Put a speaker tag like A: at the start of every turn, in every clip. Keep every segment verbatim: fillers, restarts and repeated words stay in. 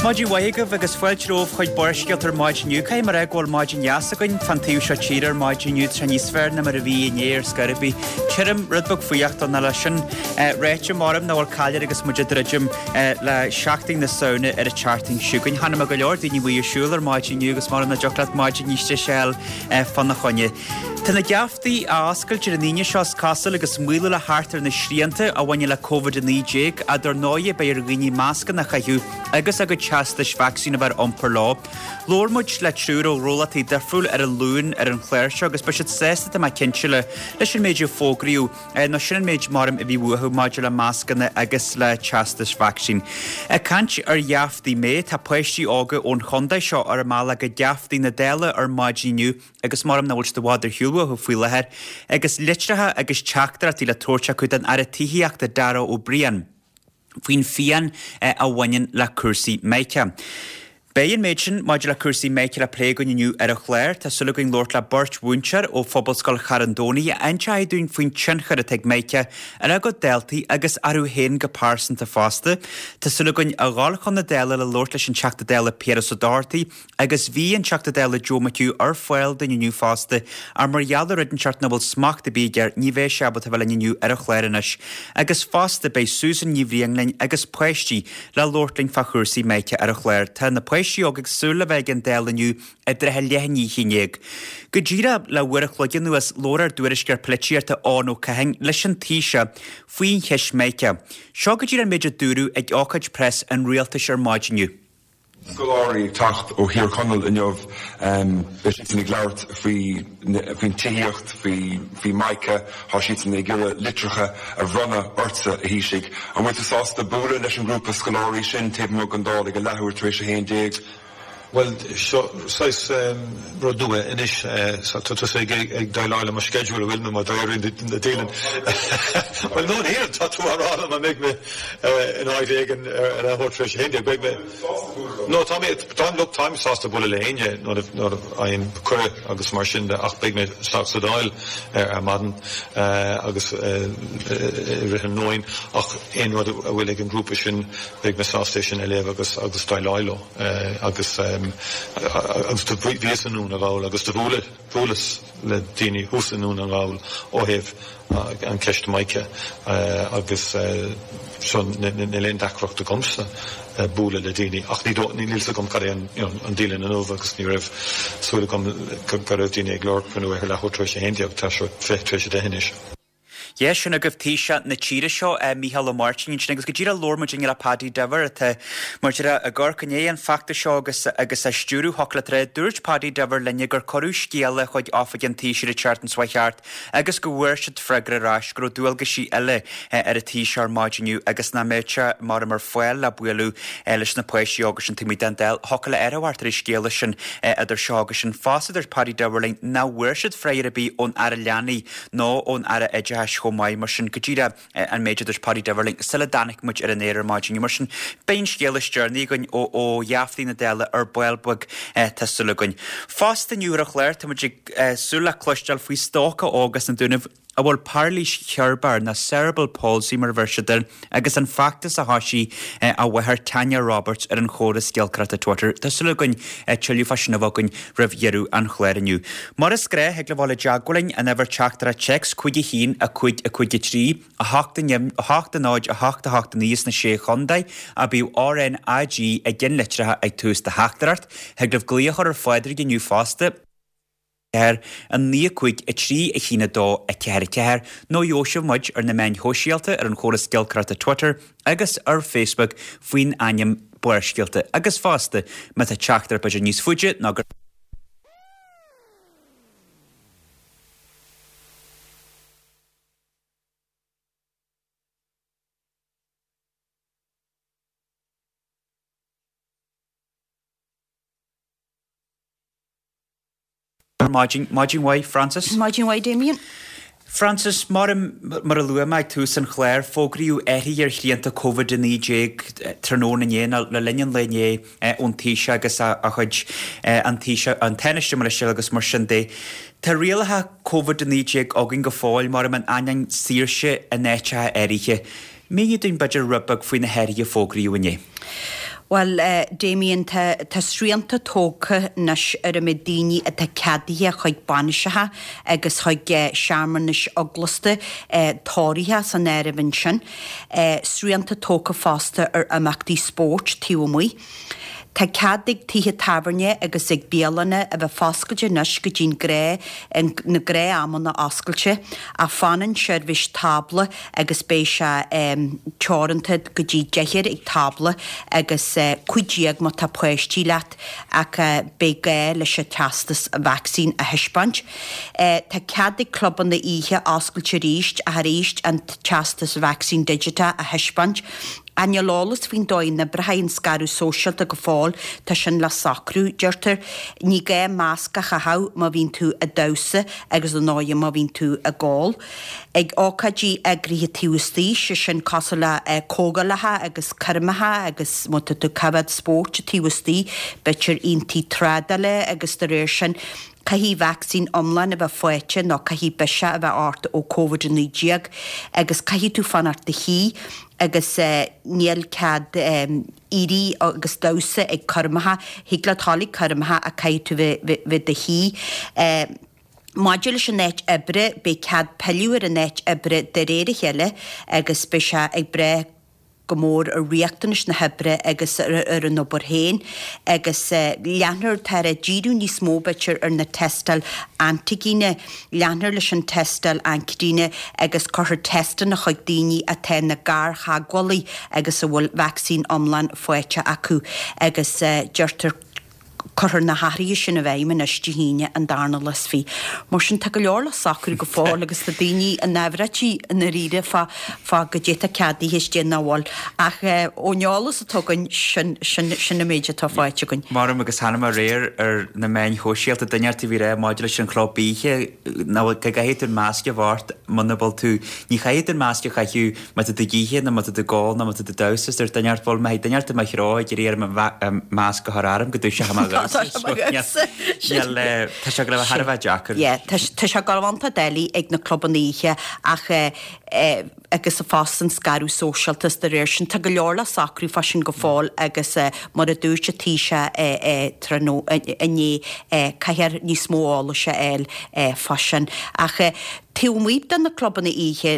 A: Maidin mhaith agaibh agus fáilte romhaibh chuig Barrscéalta ar maidin inniu. Caithfidh mé a rá go bhfuil maidin dheas againn fán taobh seo tíre ar maidin inniu, tá sé níos fearr ná mar a bhí inné ar scor ar bith. Tirim, rud beag fuar don lá sin. Ráite maram nach bhfuil caill air agus muid ag druidim le Seachtain na Samhna ar an tseachtain seo chugainn. Chonaic mé go leor daoine amuigh ag siúl ar maidin inniu agus maram nach dtiocfadh leat maidin níos deise a fháil fána choinne. Tá na geaftaí á oscailt ar an Aoine seo is cosúil agus maolú le theacht ar na srianta a bhaineann le Covid a naoi déag, ach dar ndóigh beidh ar dhaoine mascanna a chaitheamh agus a gcuid teastais vacsaín a bheith ar iompar leo. Labhair muid le triúr ó ghnólachtaí difriúil ar an Luan ar an chlár seo agus beidh siad sásta tá mé cinnte le leis an méid a fógraíodh nó sin an méid maram a bhí uathu maidir le mascanna agus le teastais vacsaín. Ag caint ar gheaftaí méith, tá páistí óga ón chontae seo ar a mbealach go geaftaí na Dála ar maidin inniu agus maram nach bhfuil siad i bhfad ar shiúl uathu faoi láthair, agus litreacha agus teachtaireachtaí le tabhairt acu don Aire Tithíochta Darragh O'Brien faoin phian a bhaineann le cúrsaí Mica. Beidh an méid sin maidir le cúrsaí Mica le plé againn inniu ar an chlár. Tá súil againn labhairt le beirt mhúinteoir ó Phobalscoil Charn Domhnaigh a inseoidh dúinn faoin tionchar atá ag Mica ar a gcuid daltaí agus orthu féin go pearsanta fosta. Tá súil againn a dhul chun na Dála le labhairt leis an Teachta Dála Piaras Ó Dochartaigh agus bhí an Teachta Dála Joe McHugh ar fáil dúinn inniu fosta ach mar gheall ar rud inteacht nach bhfuil smacht ar bith aige ní bheidh sé ábalta a bheith linn inniu ar an chlár anois. Agus fosta beidh Susan Ní Bhriain linn agus páistí le labhairt linn fá chúrsaí Mica ar an chlár. Tá na páistí óga ag súil le bheith ag an Dáil inniu i dtrátha leath i ndiaidh a haon déag. Go díreach le uair a chloig anuas labhair ár dtuairisceoir polaitíochta Eoin Ó Catháin leis an Taoiseach faoin cheist Mica. Seo go díreach an méid a dúradh ag ócáid preas an rialtais ar maidin inniu.
B: Scoláirí ag teacht ó Thír Chonaill inniu, beidh siadsan ag labhairt faoi faoin tithíocht, faoi faoi Mica, tá siadsan ag iarraidh litreacha a bhronnadh ortsa, a Thaoisigh. An bhfuil tú sásta bualadh leis an ngrúpa scoláirí sin taobh amuigh den Dáil ag a leathuair tar éis a haon déag?
C: Bhuel, seo saghas rud nua anois, tá tusa ag déileáil le mo schedule, an bhfuil, nó mar d'éirigh na dialann. Bhuel, no, níl, tá tú á rá liom an mbeidh mé in áit éigin ar leathuair tar éis a haon déag, beidh mé. No, tá mé, táim, look, táim sásta bualadh le éinne nuair a nuair a fhaighim cuireadh agus mar sin de ach beidh mé isteach sa Dáil ar maidin agus i rith an nóin ach aon rud a bhfuil ag an ngrúpa sin beidh mé sásta é sin a léamh agus agus déileáil leo. Agus agus do bhíos i nDún na nGall agus do bhuaileas bhuaileas le daoine thuas i nDún na nGall ó thaobh an ceist Mica agus so níl aon deacracht agamsa bualadh le daoine ach ní níl fhios agam cad é an you know an dialann inniu agus ní raibh súil agam go raibh daoine ag lorg cruinniú ar leathuair tar éis a haon déag, tá sé fiche tar éis a deich anois.
A: Yeah, sin agaibh Taoiseach na tíre seo, Micheál Ó Máirtín ansin agus go díreach labhair muid inné le Paddy Diver atá mar deir ag amharc i ndiaidh an feachtais seo agus agus á stiúradh thiocfadh leat a rá. Dúirt Paddy Diver linne gur cuireadh scéala chuig oifig an Taoisigh an tseachtain seo thart agus go bhfuair siad freagra ar ais go raibh dualgaisí eile ar an Taoiseach ar maidin inniu agus nach mbeadh sé mar ar fáil le bualadh leis na páistí óga sin taobh amuigh den Dáil. Thiocfadh le air a thabhairt ar an scéala sin idir seo agus sin. Fosta dúirt Paddy Diver linn nach bhfuair siad freagra ar bith ón Aire Leanaí nó ón Aire Oideachais chomh maith. Mar sin, go díreach an méid a dúirt Paddy Diver linn sula dtáinig muid ar an aer ar maidin inniu. Mar sin, beidh an scéal is deireanaí againn ó ó gheaftaí na Dála ar ball beag, tá súil againn. Fosta inniu ar an chlár, tá muid ag súil le cloisteáil faoi stócach óg as na Dúnaibh a bhfuil pairilís cheirbreach nó cerebral palsy mar a bheir siad air agus an feachtas a thoisigh a mháthair Tanya Roberts ar an chóras giolcaireachta Twitter. Tá súil againn tuilleadh fá sin a bheith againn roimh dheireadh an chláir inniu. Mar is gnách, thig libh a dhul i dteagmháil linn, an uimhir teachtaireacht téacs cúig a haon, a cúig, a cúig a trí, a hocht a hocht a náid, a hocht a hocht a naoi sna Sé Chontae, ach bíodh R N A G i gceannlitreacha ag tús do theachtaireacht. Thig libh glaoch a chur ar Phádraig inniu fosta. ceathair, a naoi, a cúig, a trí, a haon, a dó, a ceathair, a ceathair, nó gheobhaidh sibh muid ar na meáin shóisialta ar an chóras giolcaireachta Twitter agus ar Facebook faoin ainm Barrscéalta agus fosta má tá teachtaireacht b'fhéidir níos faide ná gur Ar maidin, maidin mhaith, Frances.
D: Maidin mhaith, Damien.
A: Frances, mar mar a luaigh mé ag tús an chláir, fógraíodh athruithe ar shrianta Covid a naoi déag tráthnóna inné, nó le linn an lae inné, ón Taoiseach agus a chuid, an Taoiseach, an Tánaiste mar is agus mar sin de. Tá rialacha Covid a naoi déag againn go fóill, mar in ainneoin saoirse in áiteacha áirithe. Mínigh dúinn b'fhéidir rud beag faoi na hathruithe a fógraíodh inné.
D: Bhuel, Damien, tá tá srianta tógtha anois ar an méid daoine atá ceadaithe chuig bainiseacha agus chuig searmanais eaglasta, tórraimh san áireamh ansin. Srianta tógtha fosta ar imeachtaí spóirt taobh amuigh. Tá cead ag tithe tábhairne agus ag bialanna a bheith foscailte anois go dtí'n gnáth, na gnáthamanna oscailte, ach fanann seirbhís tábla agus beidh sé teoranta go dtí deichniúr ag tábla agus cúig déag má tá páistí leat ach beidh gá leis an teastas vacsaín a thaispeáint. Tá cead ag clubanna oíche oscailt arís ach arís an teastas vacsaín digiteach a thaispeáint. Ach níl eolas faoin dóigh a n-oibreoidh an scaradh sóisialta go fóill, tá sin le socrú, deirtear. Ní gá masc a chaitheamh má bhíonn tú ag damhsa agus ar ndóigh má bhíonn tú ag ól. Ag ócáidí eagraithe taobh istigh, sé sin cosúil le comhdhálacha agus coirmeacha agus má tá tú ag coimhéad spóirt taobh istigh, b'fhéidir aontaí trádála agus de réir sin, Caithfidh vacsaín iomlán a bheith faighte nó caithfidh biseach a bheith ort ó Covid a naoi déag agus caithfidh tú fanacht i do shuí agus níl cead éirí agus damhsa ag coirmeacha. Thig leat dhul ag coirmeacha ach caithfidh tú bheith i do shuí. Maidir leis an áit oibre, beidh cead pilleadh ar an áit oibre de réir a chéile agus beidh sé ag brath go mór ar riachtanais na hoibre agus ar an obair féin agus leanfar, táthar ag díriú níos mó b'fhéidir ar na tástáil antaigine, leanfar leis an tástáil antaigine agus cuirfear teisteanna chuig daoine atá ina gartheagmhálaí agus a bhfuil vacsaín iomlán faighte acu agus deirtear Cuirfear na hathruithe sin i bhfeidhm anois Dé hAoine an darna lá is fiche. Mar sin, tá go leor le socrú go fóill agus tá daoine i ndáiríre i ndáiríre fá fá goidé atá ceadaithe is goidé nach bhfuil. Ach ón eolas atá againn, sin sin sin an méid atá faighte againn.
A: Maram agus chonaic mé aréir ar na meáin shóisialta duine inteacht a bhí ag rá maidir leis an chlub oíche nach bhfuil go gcaithfidh tú an masc a bheith ort muna bhfuil tú ní chaithfidh tú an masc a chaitheamh má tá tú ag ithe nó má tá tú ag ól nó má tá tú ag damhsa is dúirt duine inteacht bhuel má thig duine inteacht i mo threo ag iarraidh orm an masc a chur orm go dtoiseoidh mé a dhamhsa. Níl tá sé ag gabháil a bheith thar a bheith deacair.
D: Yeah, tá sé ag gabháil a bheith iontach doiligh ag na clubanna oíche ach agus fosta an scaradh sóisialta is de réir sin tá go leor le socrú fá sin go fóill agus mar a dúirt an Taoiseach tráthnóna inné caithfear níos mó eolais a fháil fá sin. Ach taobh amuigh de na clubanna oíche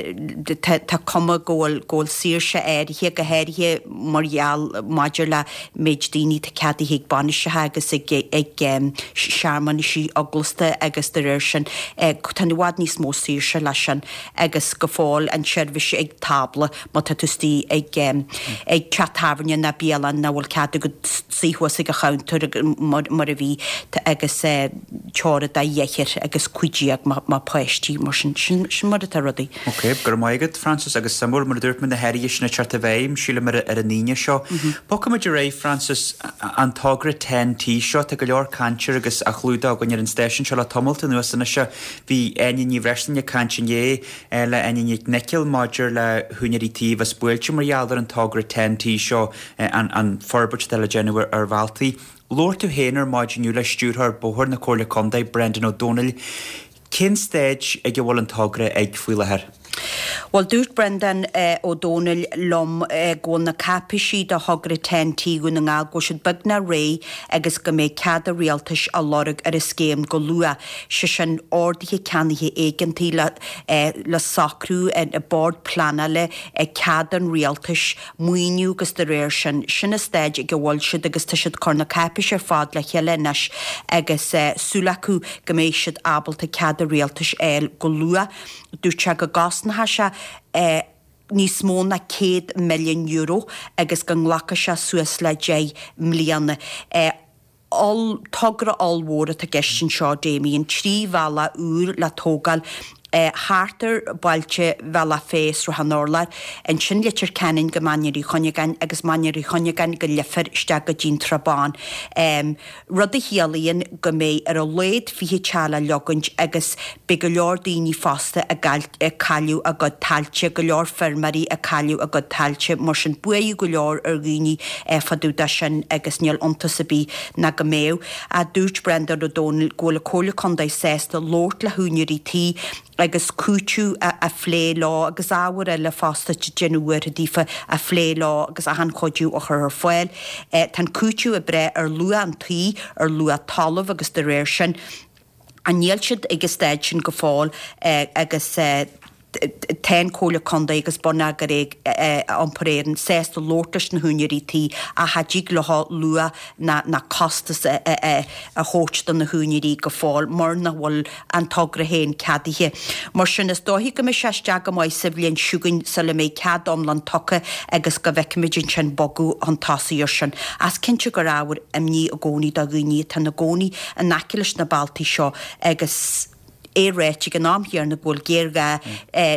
D: tá cuma go bhfuil go bhfuil saoirse áirithe, go háirithe mar gheall maidir le méid daoine atá ceadaithe ag bainiseacha agus ag ag searmanaisí eaglasta agus de réir sin tá i bhfad níos mó saoirse leis sin agus go fóill an tseirbhís ag tábla má tá tú istigh ag ag teach tábhairne ná bialann nach bhfuil cead agat suí thuas ag an chounter mar mar a bhí agus teora de dheichniúr agus cúig déag má páistí mar sin sin sin mar atá rudaí.
A: Ok, go raibh maith agat Frances agus suimiúil mar a dúirt mé na hathruithe sin ag teacht i bhfeidhm sílim ar ar an Aoine seo. Bogfaimid ar aghaidh Frances an togra Ten T seo tá go leor cainte air agus á chlúdach againn ar an stáisiún seo le tamalt anuas anois. Bhí Áine Ní Bhreisleáin ag caint inné le Áine Nic Niocaill maidir le húinéirí tí a bheas buailte mar gheall ar an togra Ten T seo an an forbairt atá le déanamh ar bhealtaí. Labhair tú féin ar maidin inniu le Stiúrthóir Bóthair na Comhairle Contae, Brendan Ó Domhnaill. Cén staid ag a bhfuil an togra ag faoi láthair?
D: Bhuel, dúirt Brendan Ó Domhnaill liom go bhfuil na cáipéisí do thogra Ten T Dhún na nGall, go bhfuil siad beagnach réidh agus go mbeidh cead an Rialtais á lorg ar an scéim go luath, sé sin orduithe ceannaithe éigeantaigh le le socrú ag Bord Pleanála, cead an Rialtais, maoiniú agus de réir sin, sin an staid ag a bhfuil siad agus tá siad ag cur na cáipéisí ar fad le chéile anois agus súil acu go mbeidh siad ábalta cead an Rialtais a fháil go luath. Dúirt sé go gcosnóidh sé níos mó ná céad milliún euro agus go nglacfaidh sé suas le deich mbliana. Oll, togra ollmhór atá i gceist anseo, Damien, trí bhealach úr le tógáil thart ar bhailte Bhealach Féich, Srath an Urláir, ansin Leitir Ceanainn go Mainír Uí Chuinneagáin agus Mainír Uí Chuinneagáin go Leifear isteach go dtí'n Trá Bhán, rud a chiallaíonn go mbeidh ar a laghad fiche teach le leogaint agus beidh go leor daoine fosta ag cailleadh a gcuid tailte, go leor feirmeoirí ag cailleadh a gcuid tailte, mar sin buaireamh go leor ar dhaoine fá dtaobh de sin agus níl iontas ar bith ná go mbeadh. Dúirt Brendan Ó Domhnaill go bhfuil an Comhairle Contae sásta labhairt le húinéirí tí agus cúiteamh a phlé leo agus ábhair eile fosta ag déanamh buartha daofa a phlé leo agus achan chuidiú a chur ar fáil. Tá an cúiteamh ag breith ar luach an tí, ar luach talaimh agus de réir sin níl siad ag an staid sin go fóill agus tá an Chomhairle Contae agus Bonneagar Iompair Éireann sásta labhairt leis na húinéirí tí ach cha dtig leo luach ná costas a thabhairt do na húinéirí go fóill mar nach bhfuil an togra féin ceadaithe. Mar sin is dóichí go mbeidh sé isteach go maith sa bhliain seo chugainn sula mbeidh cead iomlán tugtha agus go bhfeicfimid ansin bogadh chun tosaigh ar sin. Is cinnte gur ábhar imní i gcónaí do dhaoine atá ina gcónaí in aice leis na bealtaí seo agus é ráite ag an am chéanna go bhfuil géarghá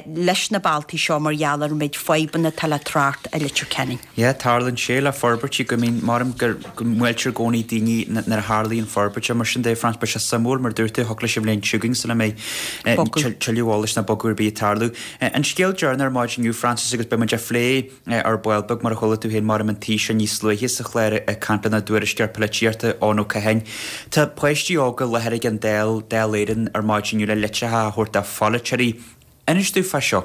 D: leis na bealtaí seo mar gheall ar an méid fadhbanna atá le trácht i Leitir Ceanainn.
A: Yeah, tarlaíonn sé le forbairtí go mbíonn, maram go mbuailtear i gcónaí daoine nuair a tharlaíonn forbairt mar sin de, Frances, beidh sé suimiúil mar dúirt tú, thiocfadh leis an bhliain seo chugainn sula mbeidh tuilleadh eolais ná bogadh ar bith ag tarlú. An scéal deireanach ar maidin inniu, Frances, agus beidh muid á phlé ar ball beag mar a chuala tú féin maram an Taoiseach níos luaithe sa chlár ag caint lenár dtuairisceoir polaitíochta Eoin Ó Catháin. Tá páistí óga i láthair ag an Dáil, Dáil Éireann ar maidin inniu le litreacha a thabhairt do pholaiteoirí. Inis dúinn fá seo.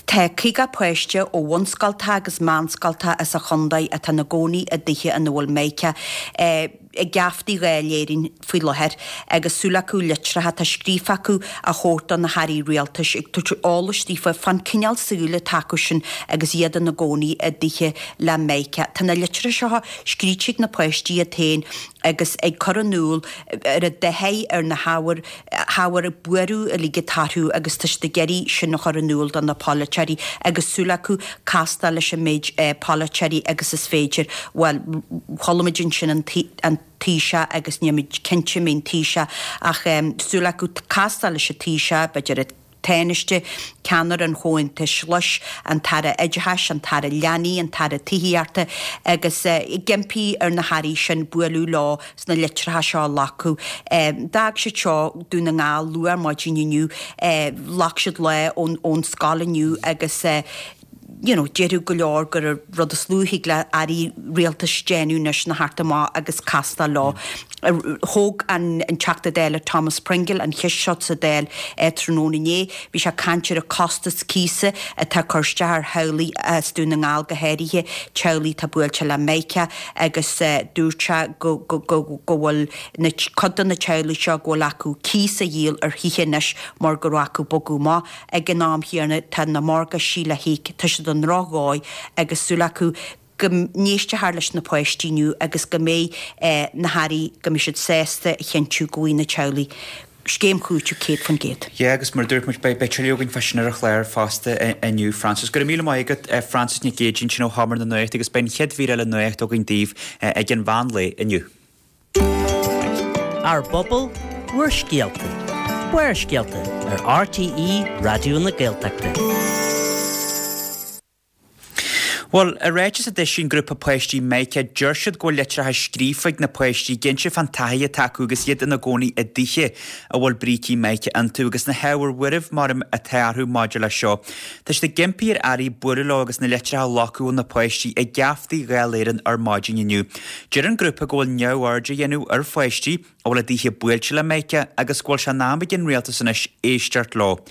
D: Tá caoga páiste ó bhunscoltacha agus meánscoltacha as an chontae atá ina gcónaí i dtithe ina bhfuil mica ag geaftaí Dháil Éireann faoi láthair agus súil acu litreacha atá scríofa acu a thabhairt do na hairí rialtais ag tabhairt eolais daofa fán cineál saoil atá acu sin agus iad ina gcónaí i dtithe le mica. Tá na litreacha seo scríte ag na páistí iad féin agus ag cur in iúl ar a dtaithí ar na hábhair hábhair buartha uilig atá orthu agus tá siad ag iarraidh sin a chur in iúl do na polaiteoirí agus súil acu castáil leis an méid polaiteoirí agus is féidir. Bhuel, chuala muid ansin an an Taoiseach agus níl muid cinnte an mbeidh an Taoiseach ach súil acu castáil leis an Taoiseach, b'fhéidir an Tánaiste, ceannaire an Chomhaontais Ghlais, an tAire Oideachais, an tAire Leanaí, an tAire Tithíochta agus ag impí ar na hairí sin bualadh leo sna litreacha seo a ghlacadh. D'fhág siad seo Dún na nGall luath ar maidin inniu, ghlac siad lá ón scoil inniu agus you know, déarfadh go leor gur an rud is lú a thig le airí rialtais déanamh anois ná theacht amach agus castáil leo. Thóg an Teachta Dála Thomas Pringle an cheist seo sa Dáil tráthnóna inné. Bhí sé ag caint ar an costas cíosa atá ag cur isteach ar theaghlaigh as Dún na nGall go háirithe, teaghlaigh atá buailte le mica agus dúirt sé go bhfuil cuid de na teaghlaigh seo go bhfuil acu cíos a dhíol ar thithe anois mar go raibh acu bogadh amach. Ag an am chéanna tá na morgáistí le híoc, tá siad i ndrochdhóigh agus súil acu go n-éistfear leis na páistí inniu agus go mbeidh na hairí, go mbeidh siad sásta a chinntiú go bhfaighidh na teaghlaigh scéim chúitimh céad faoin gcéad.
A: Yeah, agus mar a dúirt muid, beidh tuilleadh againn fá sin ar an chlár fosta inniu, Frances. Go raibh míle maith agat, Frances Nic Géadaigh, ansin ó Sheomra na Nuachta agus beidh an chéad mhír eile nuachta againn daoibh ag an mheán lae inniu.
E: Ár bpobal, bhur scéalta. Barrscéalta ar RTÉ Raidió na Gaeltachta.
A: Bhuel, i ráiteas a d'eisigh an grúpa páistí Mica, deir siad go bhfuil litreacha scríofa ag na páistí ag inse fán taithí atá acu agus iad ina gcónaí i dtithe a bhfuil brící mica iontu agus na hábhair bhuirimh mar atá orthu maidir leis seo. Tá siad ag impí ar airí bualadh leo agus na litreacha a ghlacadh ó na páistí ag geaftaí Dháil Éireann ar maidin inniu. Deir an grúpa go bhfuil neamhaird á dhéanamh ar pháistí a bhfuil a dtithe buailte le mica agus go bhfuil sé in am ag an rialtas anois éisteacht leo.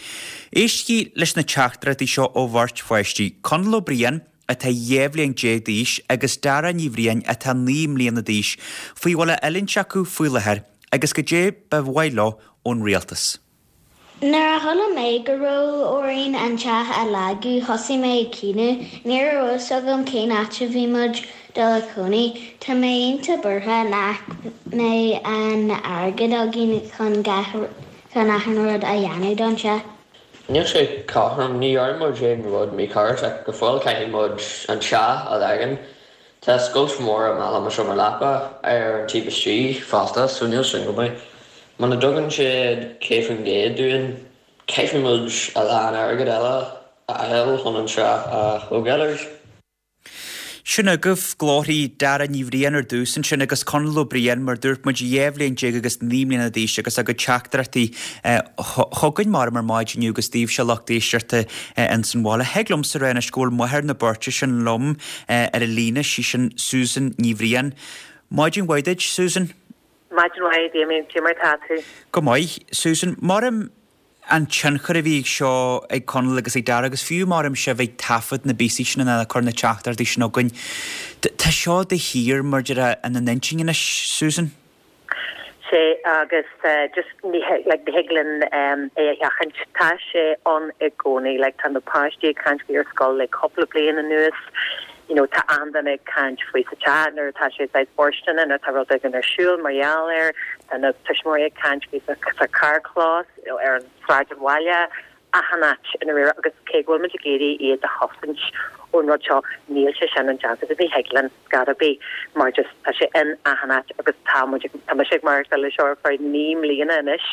A: Éistigí leis na teachtaireachtaí seo ó bheirt pháistí, Conall Ó Briain, atá dhá bhliain déag d'aois, agus Dara Ní Bhriain, atá naoi mbliana d'aois, faoi a bhfuil á fhulaingt acu faoi láthair agus goidé ba mhaith leo ón rialtas.
F: Nuair a chuala mé go raibh orainn an teach a leagadh, thosaigh mé ag caoineadh. Ní raibh a fhios agam cén áit a bhí muid dul a chónaí. Tá mé iontach buartha nach mbeidh an airgead againn chun gach chun achan rud a dhéanamh don teach.
G: Níl sé cothrom, ní dhearna muid aon rud mícheart ach go fóill caithfidh muid an teach a leagan. Tá scoilt mhór i mballa mo seomra leapa ar an taobh istigh fosta so níl sin go maith. Muna dtugann siad céad faoin gcéad dúinn caithfidh muid a lán airgead eile a fháil chun an teach a thógáil arís.
A: Sin agaibh glórthaí Dara Ní Bhriain ar dtús ansin agus Conall Ó Briain, mar dúirt muid, dhá bhliain déag agus naoi mbliana d'aois agus a gcuid teachtaireachtaí chugainn mar ar maidin inniu agus daoibhse lucht éisteachta ins an bhaile. Thig liomsa a rá anois go bhfuil máthair na beirte sin liom ar an líne, sí sin Susan Ní Bhriain. Maidin mhaith duit, Susan.
H: Maidin mhaith, Damien. Cé mar atá tú?
A: Go maith, Susan. Maram an tionchar a bhí ag seo ag Conall agus ag Dara agus fiú mar sibh ag taifead na bpíosaí sin ina cur na teachtaireachtaí sin chugainn. Tá seo de shíor mar deir ina n-intinn anois, Susan?
H: sé agus uh, just ní like ní thig linn um, é a sheachaint tá sé ann i gcónaí like tá na páistí ag caint faoi ar scoil le cúpla bliain anuas you know tá an-daoine ag caint faoi sa teach nuair atá sé saghas fóirsteanach nó tá rud éigin ar siúl mar gheall air tá na tuismitheoirí ag caint faoi sa, sa carrchlós you know, ar an sráid an bhaile achan áit ina réir agus cé go bhfuil muid ag iarraidh iad a chosaint ón rud seo níl sé sin indéanta ní thig linn gar bí mar just tá sé in achan áit agus tá tá sé mar le seo fá naoi mbliana anois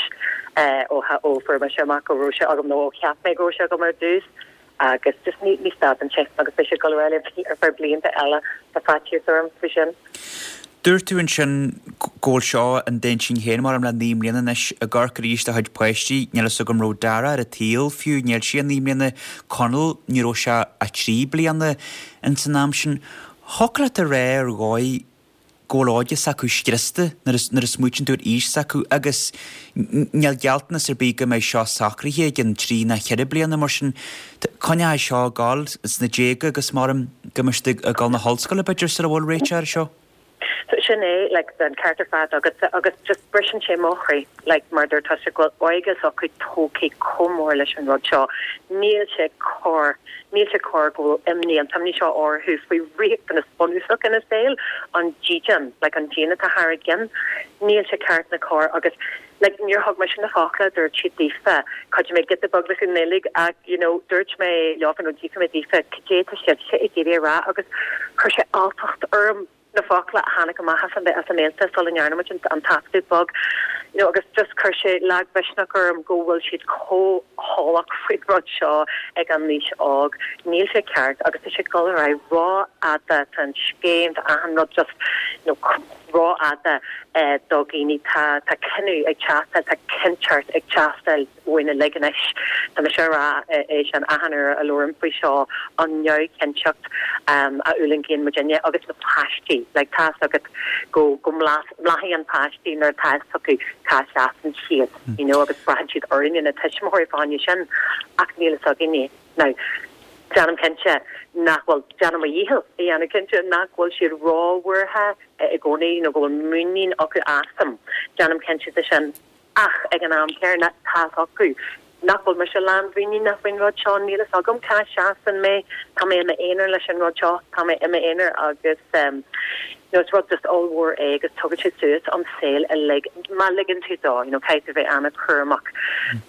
H: eh, ó ó fuair mé amach go raibh sé agam nó ó cheap mé go raibh sé agam ar dtús agus just ní ní stadann sé agus beidh sé go eile ar feadh blianta eile tá faitíos orm faoi sin.
A: Dúirt tú ansin go bhfuil seo in d'intinn féin mar le naoi mbliana anois ag amharc arís do chuid páistí, níl a fhios agam raibh Dara ar an tsaol fiú níl sé naoi mbliana Conall ní raibh sé a trí bliana in san am sin. Thiocfadh leat a rá ar dhóigh go bhfuil óige s'acu scriosta nuair a smaoiníonn tú ar aois s'acu agus níl gealltanas ar bith go mbeidh seo socraithe ag an trí ná ceithre bliana mar sin coinneoidh seo ag gabháil sna déaga agus mar go mbeidh ag dul na hollscoile b'fhéidir sula bhfuil réiteach ar seo.
H: So sin é like an ceart ar fad agus agus just briseann sé mo chroí like mar dúirt tú go bhfuil óige s'acu tógtha chomh mór leis an rud seo níl sé cóir níl sé cóir go bhfuil imní an t-imní seo orthu faoi riachtanas bunúsach ina saol an dídean like an díon atá thar a gceann níl sé ceart ná cóir agus like níor thug mé sin na focla dúirt siad daofa chuid mé giota beag leis an nGaeilge ach you know dúirt mé leofa nó d'fhiafraigh mé daofa cad é tá siad sé ag iarraidh a rá agus chuir sé alltacht orm na focla a tháinig amach as an as a mbéalta sula ndearna muid an taifeadadh beag you know, agus just chuir sé lagmhisneach orm go bhfuil siad chomh heolach faoin rud seo ag an aois óg. Níl sé ceart agus tá sé ag dul ar aghaidh rófhada an scéim achan rud just you know, rófhada eh, do dhaoine tá tá cinneadh ag teastáil tá cinnteacht ag teastáil uainn uilig anois Tá mé sé rá é sin achan uair a labhraím faoi seo an neamhchinnteacht um, a fhulaingíonn muidinne agus na páistí like tá agat go go mblaiseann an páistí nuair atá acu cá seasann siad you know agus braitheann siad orainne na tuismitheoirí fá choinne sin ach níl a fhios againne now déanaim cinnte nach bhfuil déanaim mo dhícheall a dhéanamh cinnte nach bhfuil siad róbhuartha i gcónaí nó go bhfuil muinín acu asam déanaim cinnte de sin ach ag an am céanna tá acu nach bhfuil mé se lánmhuiníneach faoin rud seo níl a fhios agam cá seasann mé tá mé i m'aonar leis an rud seo tá mé i m'aonar agus um, no is rud just ollmhór é agus tugann sé suas an saol uilig má ligeann tú dó you know caithfidh bheith an-chúramach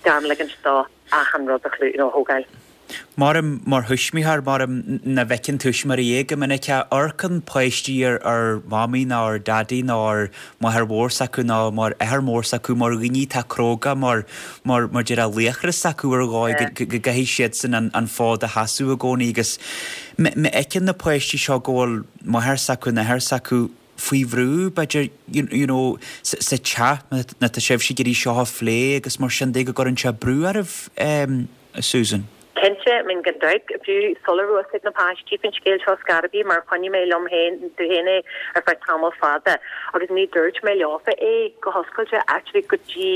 H: gan ligint dó achan rud a chlú you know, thógáil.
A: Mar mar thuismitheoir mar na bhfeiceann tuismitheoirí é go minic amharcann páistí ar ar mamaí ná ar daidí ná ar máthair mhór s'acu ná mar athair mór s'acu mar dhaoine atá cróga mar mar mar deir a laochra s'acu ar dhóigh go gcaithfidh siad sin an, an fód a sheasamh i gcónaí agus má fheiceann na páistí seo go bhfuil máthair s'acu nó athair s'acu faoi bhrú b'fhéidir you, you know, sa teach na tá sibh ag iarraidh seo a phlé agus mar sin de go gcuireann sé brú oraibh um, Susan.
H: Cinnte min gan dabht fiú sula raibh a fhios ag na páistí faoin scéal seo ar scor ar bith mar choinnigh mé liom féin tú féin é ar feadh tamall fada agus ní dúirt mé leofa é go hoscailte actually go dtí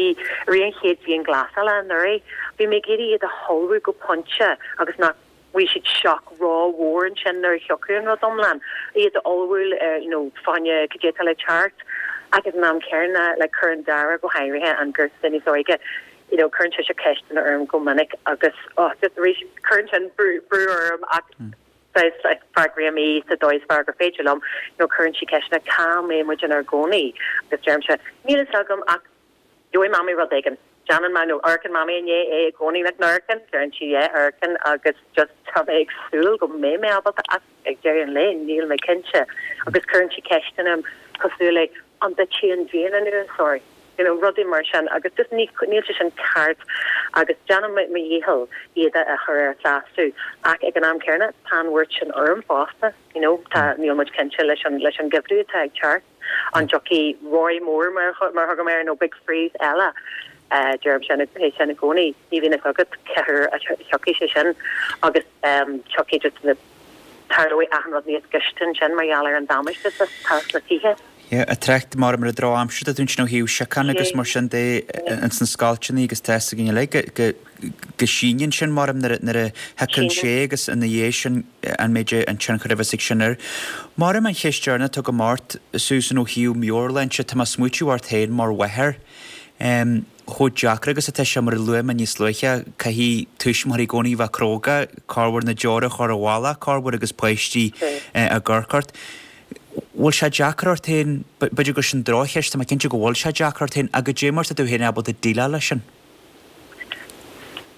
H: ri an chéad dianghlasála anuraidh. Bhí mé ag iarraidh iad a ullmhú go pointe agus nach bhí siad shock rómhór ansin nuair a thiocfadh an rud iomlán. Iad a ullmhú you know, fá choinne cad é le teacht agus an am céanna le cuireann Dara go háirithe an garúin níos óige. you know cuireann sé ceisteanna orm go minic agus oh, just arís cuireann sin brú brú orm ach mm. like freagraím í sa dóigh is fearr gur féidir liom nó cuireann sí ceisteanna cá mbeidh muid inár gcónaí agus deirimse níl a fhios agam ach gheobhaidh mamaí rud éigin Déanann mamaí nó amharcann mamaí inné é i gcónaí le amharcann deireann sí é amharcann agus just tá mé ag súil go mbeidh mé ábalta ach ag deireadh an lae níl mé cinnte agus cuireann sí ceisteanna cosúil le an dtitfidh an díon anuas sorry you know rudaí mar sin agus just ní níl sé sin ceart agus déanaim mo dhícheall iad a chur ar sásamh ach ag an am céanna tá an bhuairt sin orm fosta you know tá níl muid cinnte leis an leis an geimhreadh atá ag teacht an dtiocfaidh roi mór mar mar thugaim air nó big freeze eile uh, deirim sin é sin i gcónaí ní bhíonn a fhios agat cá huair a thiocfaidh sé sin agus um, tiocfaidh just na tarlóidh achan rud níos gaiste sin mar gheall ar an damáiste atá sna tithe.
A: Yeah, ag trácht mar ar an drochaimsir atá ansin ó thaobh síocháin agus mar sin de ins na scoilteanna agus tá fhios againn uilig go go síneann sin mar nuair a nuair a thiocfaidh sé agus ina dhiaidh sin an méid an tionchar a bheas ag sin air. Mar an cheist deireanach atá agam ort, Susan ó thaobh meabhairshláinte, tá mé ag smaoitiú ort féin mar mháthair. Um, chomh deacair agus atá sé mar a luaigh mé níos luaithe, caithfidh tuismitheoirí i gcónaí bheith cróga, corruair na deora a chur ar an bhealach, corruair agus páistí ag amharc ort. Bhfuil sé deacair ort féin, b'fhéidir gur sin drochcheist, tá mé cinnte go bhfuil sé deacair ort féin, ach goidé mar tá tú féin ábalta déileáil leis sin?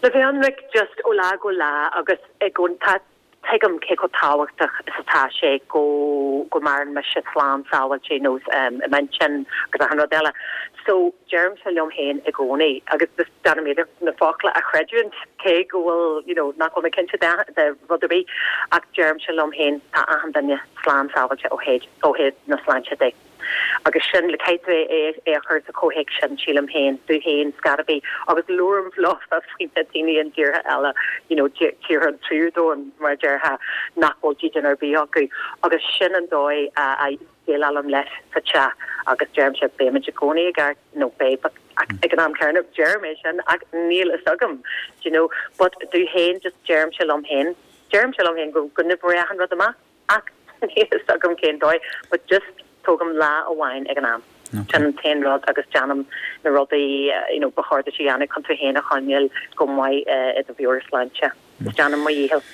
H: Le bheith ionraic just ó lá go lá agus i gcónaí tá tuigim cé chomh tábhachtach is atá sé go go maireann mise slán sábháilte nó um, i m'intinn agus achan rud eile. So deirimse liom féin i gcónaí agus just déanaim iarracht na focla a chreidiúint cé go bhfuil you know, nach bhfuil mé cinnte de, de rud ar bith ach deirimse liom féin tá achan duine slán sábháilte ó thaobh ó thaobh na sláinte de. Agus sin le caithfidh é é a chur sa chomhthéacs sin sílim féin dom féin scarabí agus labhraím leofa faoi na daoine in tíortha eile you know, tíortha an tríú domhan mar déarfá nach bhfuil dídean ar bith acu agus sin an dóigh a a dhéileálaim leis sa teach agus deirimse beimid i gcónaí i gceart nó beidh ag an am céanna deirim é sin ach níl fhios agam you know but dom féin just deirimse liom féin deirimse liom féin go go n-oibreoidh achan rud amach ach níl fhios agam cén dóigh but just tógaim lá amháin ag an am. Sin an t-aon rud agus déanaim na rudaí you know, ba chóir duit a dhéanamh chun tú féin a choinneáil go maith uh, i do mheabhairshláinte. Is déanaim mo dhícheall.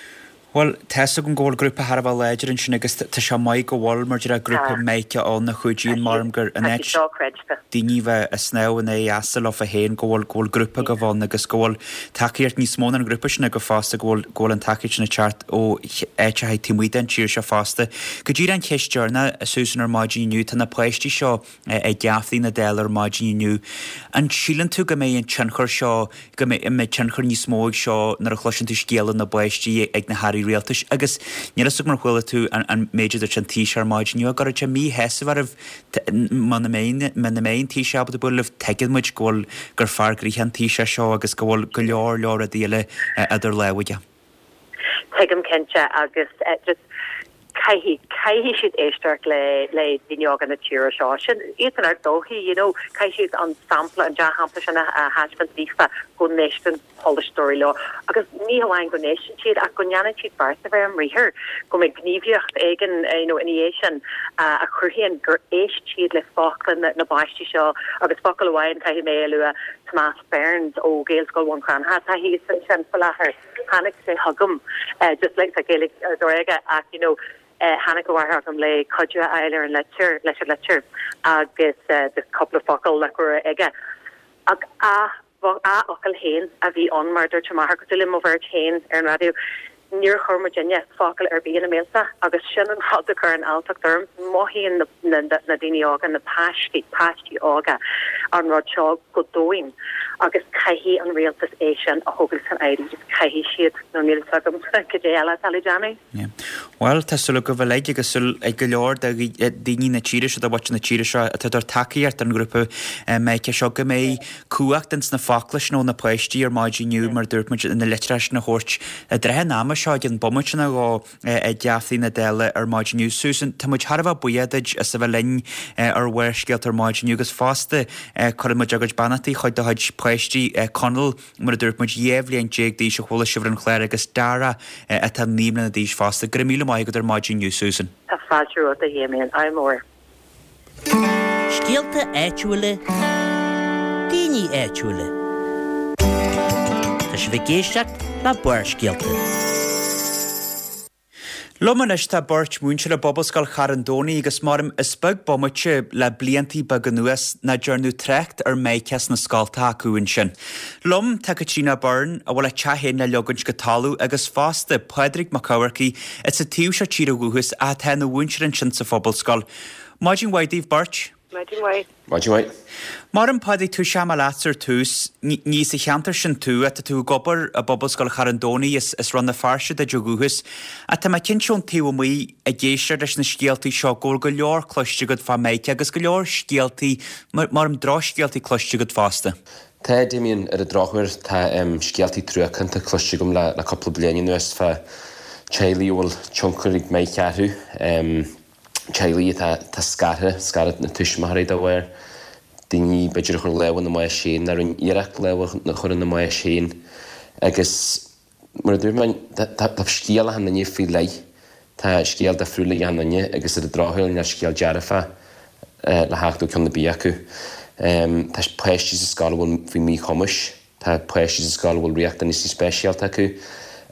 A: Bhuel, tá fhios agam go bhfuil grúpa thar a bheith láidir ansin agus tá sé maith go bhfuil mar deir grúpa Micah ann a chuidíonn mar gur an áit daoine bheith ag snámh in aghaidh easa leofa féin go bhfuil go bhfuil grúpa go bhfuil agus go bhfuil tacaíocht níos mó ná an grúpa sin go fosta go bhfuil go bhfuil an tacaíocht sin ag teacht ó áiteacha taobh amuigh den tír seo fosta. Go díreach an cheist deireanach Susan ar maidin inniu tá na páistí seo ag geaftaí na Dála ar maidin inniu. An síleann tú go mbeidh an tionchar seo go mbeidh tionchar níos mó ag seo nuair a chloiseann tú scéala na bpáistí ag na hairí rialtais agus níl fhios agam mar chuala tú an méid a dúirt an Taoiseach ar maidin inniu go raibh sé míshásamh oraibh muna mbeidh muna mbeidh an Taoiseach ábalta bualadh libh tuigeann muid go bhfuil gur fear gnoitheach an Taoiseach seo agus go bhfuil go leor leor rudaí eile idir lámha aige.
H: Tuigim cinnte agus uh, just caithfidh caithfidh siad éisteacht le le daoine óga na tíre seo sin iad an ar dóichí you know caithfidh siad an sampla an dea-shampla sin a thaispeáint daofa go n-éisteann polaiteoirí leo agus ní hamháin go n-éisteann siad ach go ndéanann siad beart de réir a mbriathar go mbeidh gníomhaíocht éigin you know ina dhiaidh sin a chruthaíonn gur éist siad le focla na, na bpáistí seo agus focal amháin caithfidh mé a lua Tomás Burns ó Gaelscoil Bhun Cranncha tá thíos ansin faoi láthair tháinig sé chugam uh, just like sa Gaeilge ar ach you know uh, tháinig a mháthair chugam le cuidiú a fháil ar an litir leis an litir agus uh, just cúpla focal le cur aige ach a a fhocal féin a bhí ann mar dúirt máthair cosúil le mo bheirt féin ar an raidió níor chuir muidinne focal ar bith ina mbéalta agus sin an rud a chuireann alltacht orm mothaíonn na, na, na daoine óga na páistí páistí óga an rud seo go domhain agus caithfidh an rialtas é sin a thógáil san áireamh just caithfidh siad nó níl agam cad eile atá le déanamh.
A: Well tá súil go bhfuil agus súil ag go leor de daoine na tíre seo de mhuintir na tíre seo atá ag tacaíocht an grúpa Micah seo go mbeidh cumhacht ins na focla nó na páistí ar maidin inniu mar dúirt muid na litreacha sin a thabhairt i dtrátha an ama seo den bomaite na dhó ag geaftaí na Dála ar maidin inniu. Susan tá muid thar a bheith buíoch duit as a bheith linn ar Bharrscéalta ar maidin inniu agus fosta cuireann muid ár gcuid beannachtaí chuig do chuid páistí Conall mar a dúirt muid dhá bhliain déag d'aois a chuala sibh ar an chlár agus Dara atá naoi mbliana d'aois fosta. Go raibh míle maith agat ar maidin inniu Susan.
H: Tá fáilte romhat a Dhéimian ádh mór.
E: Scéalta áitiúla, daoine áitiúla. Tá sibh ag éisteacht le Barrscéalta.
A: Liom anois tá beirt múinteoir i bPobalscoil Charn Domhnaigh agus maram is beag bomaite le bliantaí beaga anuas nach ndearnadh trácht ar Micah sna scoltacha acu ansin. Liom tá Caitríona Byrne a bhfuil a teach féin le leagaint go talamh agus fosta Pádraig Mac Eamharcaigh is sa taobh seo tíre ó dhúchas atá ina mhúinteoir ansin sa phobalscoil. Maidin mhaith daoibh beirt.
H: Maidin mhaith.
I: Maidin mhaith.
A: Mar an Pádraig tú se leat ar tús ní sa cheantar sin tú atá tú ag obair i bPobalscoil Charn Domhnaigh is is Rann na Feirste duit ó dhúchas, ach tá mé cinnte ón taobh amuigh ag éisteacht leis na scéaltaí seo go bhfuil go leor cloiste agat fá Micah agus go leor scéaltaí mar an drochscéaltaí cloiste agat fosta.
I: Tá Damien ar an drochuair tá um, scéaltaí truacánta cloiste agam le, le cúpla bliain anuas fá teaghlaigh a bhfuil tionchar ag Micah orthu. Um, Teaghlaigh atá atá scartha, scaradh na tuismitheoirí dá bharr, daoine b'fhéidir a chuir lámh ina mbáis féin, nó a rinne iarracht lámh a chur ina mbáis féin agus mar a dúirt mé, tá tá scéal achan duine faoi leith, tá scéal difriúil ag achan duine agus ar an drochuair níl scéal dearfach le theacht ó ceann ar bith acu. Tá páistí sa scoil a bhfuil faoi mhíchumais, tá páistí sa scoil a bhfuil riachtanaisí speisialta acu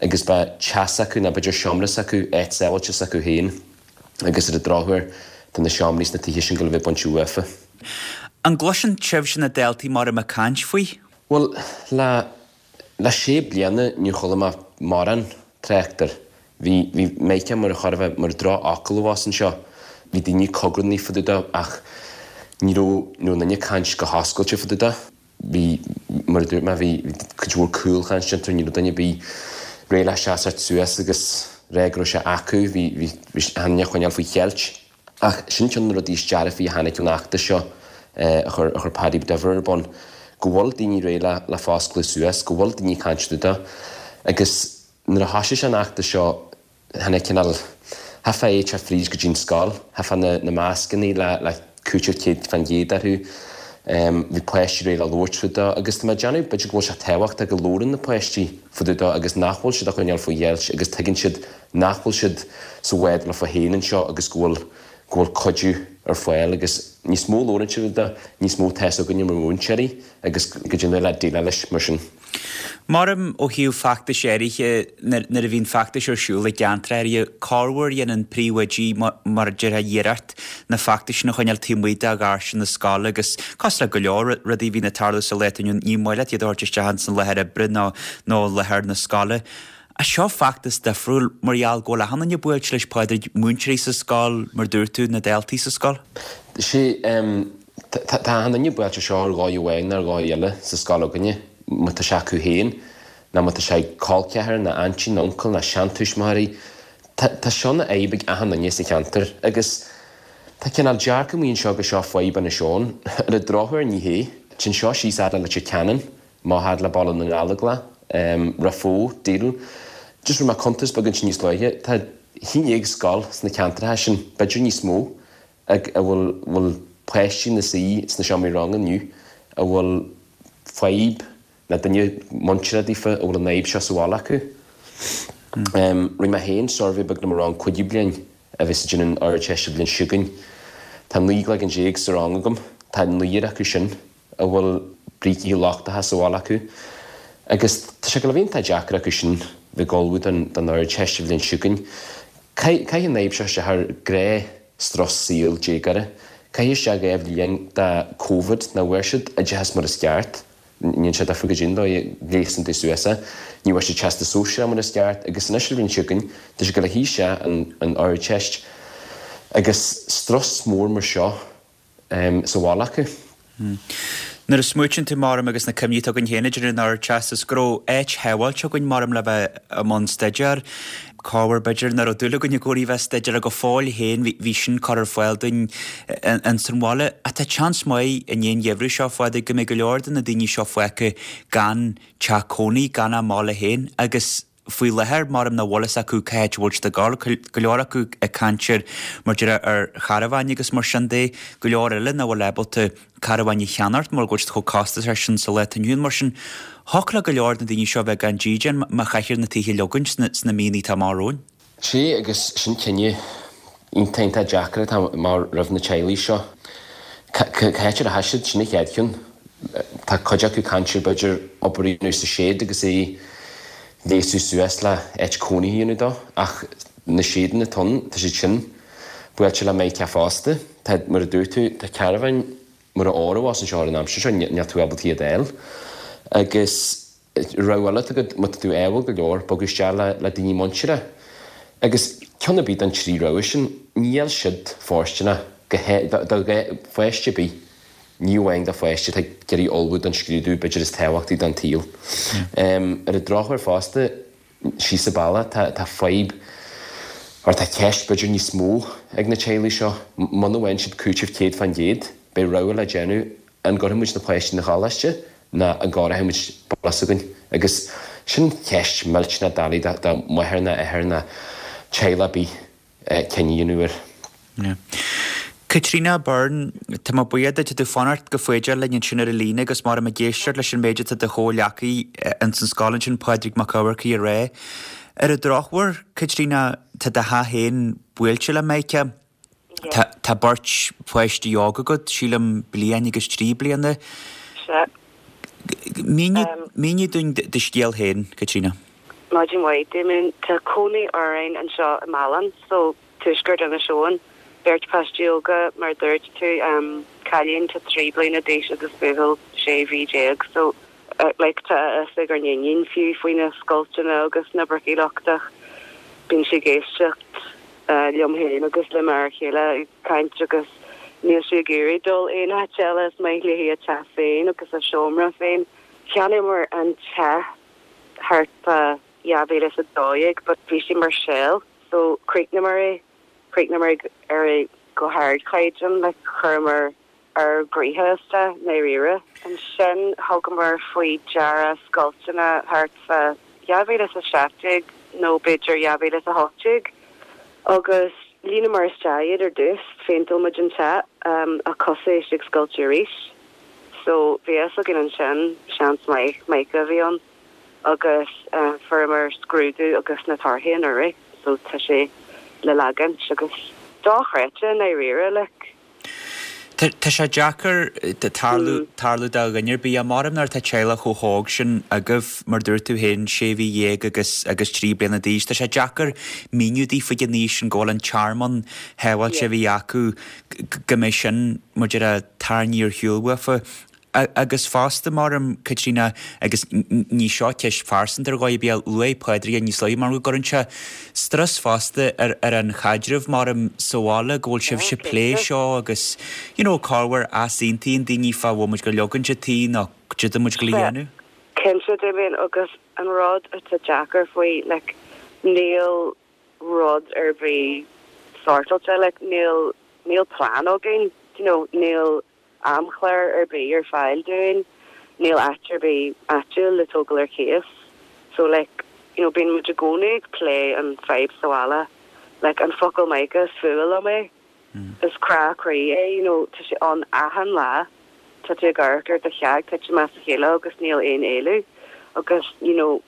I: agus beidh teach s'acu nó b'fhéidir seomra s'acu, áit sábháilte s'acu féin agus ar an drochuair tá na seomraí sna tithe sin ag gabháil a bheith bainte uafa.
A: An gcloiseann sibhse na daltaí mar ag caint faoi?
I: Bhuel, le le sé bliana níor chuala mé mórán trácht air. Bhí bhí Micah mar a chóir a bheith mar drochfhocal abhus anseo. Bhí daoine cogarnaí fá dtaobh de ach ní raibh ní raibh aon duine ag caint go hoscailte fá dtaobh de. Bhí, mar a dúirt mé, bhí cuid mhór cúlchaint déanta, ní raibh duine ar bith réidh le seasamh suas agus rá go raibh sé acu, bhí bhí bhí achan duine á choinneáil faoi cheilt. Ach sin ceann de na rudaí is dearfaí a tháinig ón fheachtas seo a chuir a chuir Paddy Diver ar bun, go bhfuil daoine réidh le le foscladh suas, go bhfuil daoine ag caint fá dtaobh de agus nuair a thoisigh sé an fheachtas seo tháinig cineál, chaithfeá é teacht fríd go dtí an scoil, chaithfeá na na mascannaí le le cúiteamh céad fán gcéad orthu, bhí páistí réidh le labhairt fá dtaobh de agus tá mé ag déanamh b'fhéidir go bhfuil sé tábhachtach go labhrann na páistí fá dtaobh de agus nach bhfuil siad á choinneáil faoi cheilt agus tuigeann siad nach bhfuil siad sa bhád leofa féin anseo agus go bhfuil go bhfuil cuidiú ar fáil agus níos mó a labhrann siad fá dtaobh de, níos mó tá 'fhios againne mar mhúinteoirí agus go dtéann le déileáil leis mar sin.
A: Maram ó thaobh feachtais áirithe, nuair a bhíonn feachtais ar siúl i gceantar áirithe, corruair dhéanann príomhoidí, mar a déarfá, iarracht na feachtais sin a choinneáil taobh amuigh de dhoirse na scoile agus cosúil le go leor rudaí a bhíonn ag tarlú sa lá atá inniu ann, ní maith leat iad a thabhairt isteach ins an láthair oibre nó nó láthair na scoile. Ach seo feachtas difriúil mar gheall go bhfuil achan duine buailte leis, Pádraig, múinteoirí sa scoil, mar dúirt tú, na daltaí sa scoil.
I: Sea, tá achan duine buailte seo ar dhóigh amháin nó ar dhóigh eile sa scoil againne, má tá sé acu féin, nó má tá sé ag col ceathar, nó aintín, nó uncail, nó seantuismitheoirí. Tá seo ina fhadhb ag achan duine sa cheantar agus tá cineál dearcadh amuigh anseo gur seo fadhb Inis Eoghain. Ar an drochuair ní hé. Téann seo síos fhad le Leitir Ceanainn. Amach fhad le Baile na nGallóglach, Ráth Bhoth, Doire. Just rinne mé cuntas beag ansin níos luaithe, tá a haon déag scoil sna ceantracha sin, b'fhéidir níos mó, ag a bhfuil bhfuil páistí ina suí sna seomraí ranga inniu a bhfuil fadhb nó duine muinteartha daofa a bhfuil an fhadhb seo sa bhaile acu. Rinne mé féin suirbhé beag le mo rang cúigiú bliain a bheas ag déanamh an Ardteist an bhliain seo chugainn. Tá naoi gcloigeann déag sa rang agam, tá naonúr acu sin a bhfuil brící lochtacha sa bhaile acu agus tá sé ag gabháil a bheith iontach deacair acu sin bheith ag ullmhú don Ardteist an bhliain seo chugainn. Caitheann an fhadhb seo isteach ar ghnáthstrus saoil déagóra. Caitheadh isteach dhá bhliain de Covid nach bhfuair siad oideachas mar is ceart, ní dhéanann sé difear goidé an dóigh a ghléasann tú suas é, ní bhfuair siad Teastas Sóisearach mar is ceart agus anois an bhliain seo chugainn tá siad ag gabháil a shuí isteach an Ardteist agus strus mór mar seo. sa bhaile acu.
A: Nuair a smaoitíonn tú, maram, agus na cuimhní atá againn féin ag déanamh an Ardteastas, go raibh áit shábháilte againn, maram, le bheith i mbun staidéir. Corruair, b'fhéidir, nach raibh dúil againn i gcónaí bheith ag staidéar ach go fóill féin bhí sin curtha ar fáil dúinn ins an bhaile. Ach tá seans maith i ndiaidh an gheimhridh seo, a Phádraig, go mbeidh go leor de na daoine seo fágtha gan teach cónaí, gan a mbaile féin agus, faoi láthair, maram nach bhfuil fhios acu cá háit a bhfuil siad ag dul, go leor acu ag caint ar, mar déarfá, ar charabháin agus mar sin de, go leor eile nach bhfuil ábalta carabháin a cheannacht mar go bhfuil siad chomh costasach sin sa lá atá inniu ann. Mar sin, thiocfadh le go leor de na daoine seo a bheith gan dídean má chaithfear na tithe a leogaint sna míonna atá amach romhainn.
I: Sea, agus sin cinneadh iontach, iontach deacair atá amach roimh na teaghlaigh seo. Cá háit a rachaidh siad? Sin an chéad cheann. Tá cuid acu ag caint ar b'fhéidir obair a dhéanamh sa seid agus é a ghléasadh suas le áit cónaithe a dhéanamh dó ach na seideanna atá ann, tá siad sin buailte le Mica fosta. Tá, mar a dúirt tú, tá carabháin mar ór abhus anseo ar an aimsir seo, níl tú ábalta iad a fháil. Agus rogha eile atá agat, má tá tú ádhúil go leor, bogadh isteach le le daoine muinteartha. Agus ceann ar bith den trí rogha sin, níl siad fóirsteanach go do pháiste ar bith, ní amháin do pháiste atá ag iarraidh ullmhú don scrúdú b'fhéidir is tábhachtaí den tsaol. Ar an drochuair fosta, síos sa baile, tá tá fadhb, or tá ceist b'fhéidir níos mó ag na teaghlaigh seo, muna bhfaigheann siad cúiteamh céad fán gcéad, beidh rogha le déanamh, an gcuirfidh muid na páistí 'na choláiste nó an gcóireoidh muid baile s'againn? Agus sin ceist millteanach doiligh do mháthair nó athair nó teaghlach ar bith cinneadh a dhéanamh air.
A: Yeah. Caitríona Byrne, tá mé buíoch duit, tá tú fanacht go foighdeach linn ansin ar an líne agus mar ag éisteacht leis an méid atá do chomhghleacaí ins an scoil ansin Pádraig Mac Eamharcaigh a rá. Ar an drochuair, Caitríona, tá do theach féin buailte le Mica. Tá tá beirt pháistí óg agat, sílim bliain agus trí bliana.
J: Sea.
A: Mínigh dúinn do scéal féin, Caitríona.
J: Maidin mhaith, Damien. Tá cónaí orainn anseo i Málainn, so tuaisceart Inis Eoghain. Beirt páistí óga, mar a dúirt tú, cailín tá trí bliana d'aois agus buachaill sé mhí déag. So, like, tá a fhios ag ár n-iníon fiú faoi na scoilteanna agus na bricí lochtach. Bíonn sí ag éisteacht liom féin agus le m'fhear chéile ag caint agus níl sí ag iarraidh dul aon áit eile, is maith léi a teach féin agus a seomra féin. Cheannaíomar an teach thart fá dhá mhíle is a dó dhéag but bhí sé mar shell so chríochnaíomar é, chríochnaíomar ar é go hardchaighdeán, like chuireamar ár gcroíthe isteach i ndáiríre. Ansin thugamar faoi deara scoilteanna thart fá dhá mhíle is a seacht déag nó b'fhéidir dhá mhíle is a hocht déag agus líonamar isteach iad ar dtús, phéinteáil muid an teach ach thosaigh sé ag scoilteadh arís. So bhí a fhios againn ansin seans maith mica a bhí ann agus fuaireamar scrúdú agus na torthaí anuraidh so tá sé le leagaint agus dochreidte i ndáiríre like.
A: Tá sé deacair tarlú tarlú do dhuine ar bith, maram nuair atá teaghlach chomh hóg sin agaibh, mar dúirt tú féin, sé mhí dhéag agus agus trí bliana d'aois. Tá sé deacair míniú daofa ag an aois sin go bhfuil an tearmann shábháilte a bhí acu go mbeidh sin, mar a déarfá, tarraingthe ar shiúl uafa. Agus fosta, maram, Caitríona, agus ní seo ceist phearsanta ar dhóigh ar bith, luaigh Pádraig é níos luaithe, mar go gcuireann sé strus fosta ar ar an chaidreamh, maram, sa bhaile, go bhfuil sibhse ag plé seo agus, you know, corruair easaontaíonn daoine fá bhfuil muid ag leagaint an tí nó cad é muid ag dul a dhéanamh.
J: Cinnte, Damien, agus an rud atá deacair faoi, like, níl rud ar bith sortáilte, like, níl, níl plean againn, you know, níl amchlár ar bith ar fáil dúinn, níl áit ar bith áitiúil le tógáil ar cíos. So like, you know, bíonn muid i gcónaí ag plé an fadhb sa bhaile. Like, an focal mica is fuath liom é. Is crá croí é, you know, tá sé ann achan lá. Tá tú ag amharc ar do theach ag titim as a chéile agus níl aon éalú. Agus, you know,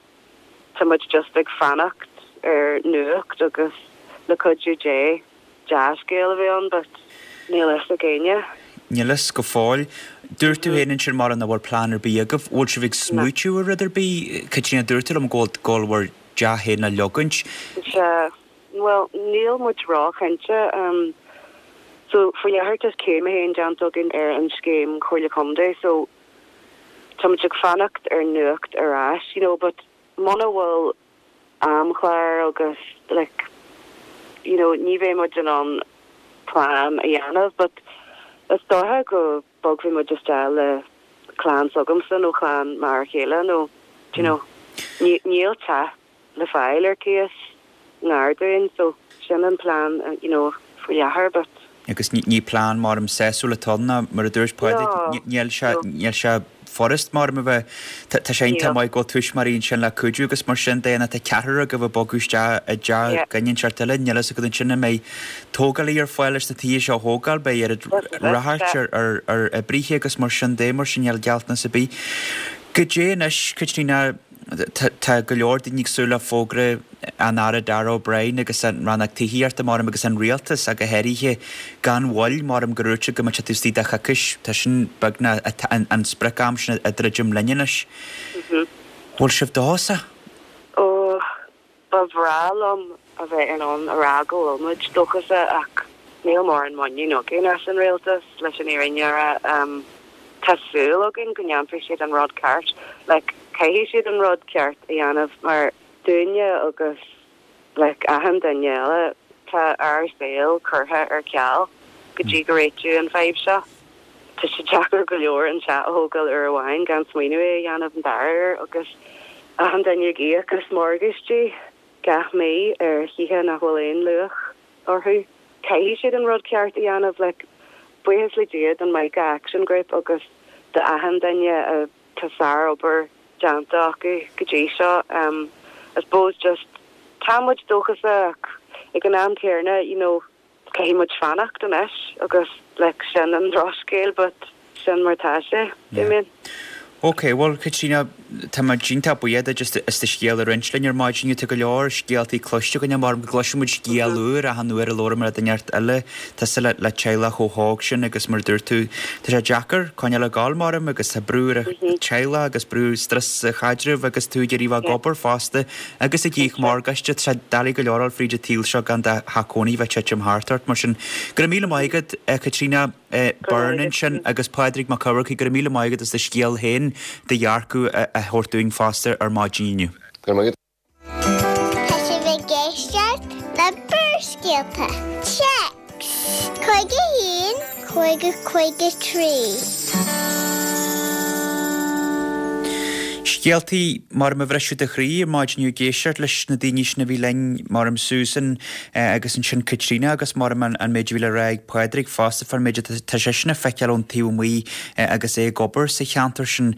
J: tá muid just ag fanacht ar nuacht agus le cuidiú Dé dea-scéal a bheith ann but níl fhios ag éinne.
A: Níl fhios go fóill. Dúirt tú féin ansin mar nach bhfuil plean ar bith agaibh. Bhfuil sibh ag smaoitiú ar rud ar bith? Caitríona, dúirt tú liom go bhfuil go bhfuil bhur dteach féin le leagaint.
J: Sea. Bhuel, níl muid róchinnte. So, faoi láthair tá céim a haon déanta againn ar an scéim Chomhairle Contae so tá muid ag fanacht ar nuacht ar ais, you know, but muna bhfuil amchlár agus like, you know, ní bheidh muid in ann plean a dhéanamh but is dócha go bogfaidh muid isteach le clann s'agamsa nó clann m'fhear chéile nó do you know, níl teach le fáil ar cíos ngar dúinn so sin an plean you know, faoi láthair but.
A: Agus ní plean maram sásúil atá ann ná mar a dúirt Pádraig, níl sé, níl sé furast maram a bheith, tá sé iontach maith go bhfuil tuismitheoirí ansin le cuidiú agus mar sin de, tá ceathrar agaibh ag bogadh isteach i dteach duine inteacht eile, níl fhios agat ansin an mbeidh tógálaí ar fáil leis na tithe seo a thógáil, beidh oiread ráchairt ar ar oibrithe agus mar sin de, mar sin níl gealltanas ar bith. Goidé anois, Caitríona, tá go leor daoine ag súil le fógra an Aire Darragh O'Brien agus an Rannóg Tithíochta, maram, agus an Rialtas ach go háirithe, gan mhoill, maram, gur dhúirt siad go mbeadh sé taobh istigh de choicís. Tá sin beagnach an sprioc-am sin ag druidim linn anois. Bhfuil sibh dóchasach?
J: Ó, ba bhreá liom a bheith in ann a rá go bhfuil muid dóchasach ach níl mórán muinín againn as an rialtas, leis an fhírinne a rá. Tá súil againn go ndéanfaidh siad an rud ceart. Like, caithfidh siad an rud ceart a dhéanamh mar dúinne agus like achan duine eile, tá ár saol curtha ar ceal go dtí go réiteoidh an fadhb seo. Tá sé deacair go leor an teach a thógáil uair amháin gan smaoineamh é a dhéanamh an dara huair agus achan duine ag íoc as morgáistí gach mí ar thithe nach bhfuil aon luach orthu. Caithfidh siad an rud ceart a dhéanamh like buíochas le Dia don Mica Action Group agus do achan duine a tá sárobair déanta acu go dtí seo. I suppose just tá muid dóchasach ag an am céanna you know caithfidh muid fanacht anois agus like sin an drochscéal but sin mar tá sé, Damien.
A: Ok, bhuel Caitríona, tá muid iontach buíoch duit as as do scéal a roinnt linn ar maidin. Tá go leor scéaltaí cloiste againn mar go gcloiseann muid scéal úr achan uair a labhraíonn muid le duine inteacht eile. Tusa le le teaghlach chomh hóg sin agus mar a dúirt tú, tá sé deacair coinneáil ag gabháil maram agus tá brú ar an teaghlach agus brú strus sa chaidreamh agus tú ag iarraidh bheith ag obair fosta agus ag íoc morgáiste. Tá sé doiligh go leor a dhul fríd an tsaol seo gan do theach cónaí bheith titim thart ort. Mar sin, go raibh míle maith agat, Caitríona. Byrne ansin agus Pádraig Mac Eamharcaigh, go raibh míle maith agat as do scéal féin, do dhearcadh a thabhairt dúinn fosta ar maidin inniu.
I: Go raibh maith agat.
F: Tá sibh ag éisteacht le Barrscéalta. Téacs cúig a haon, cúig a cúig a trí.
A: Scéaltaí mar a bhrisfeadh do chroí ar maidin inniu ag éisteacht leis na daoine sin a bhí linn, mar Susan agus ansin Caitríona agus mar an méid a bhí le rá ag Pádraig fosta fán méid atá seisean a feiceáil ón taobh amuigh agus é ag obair sa cheantar sin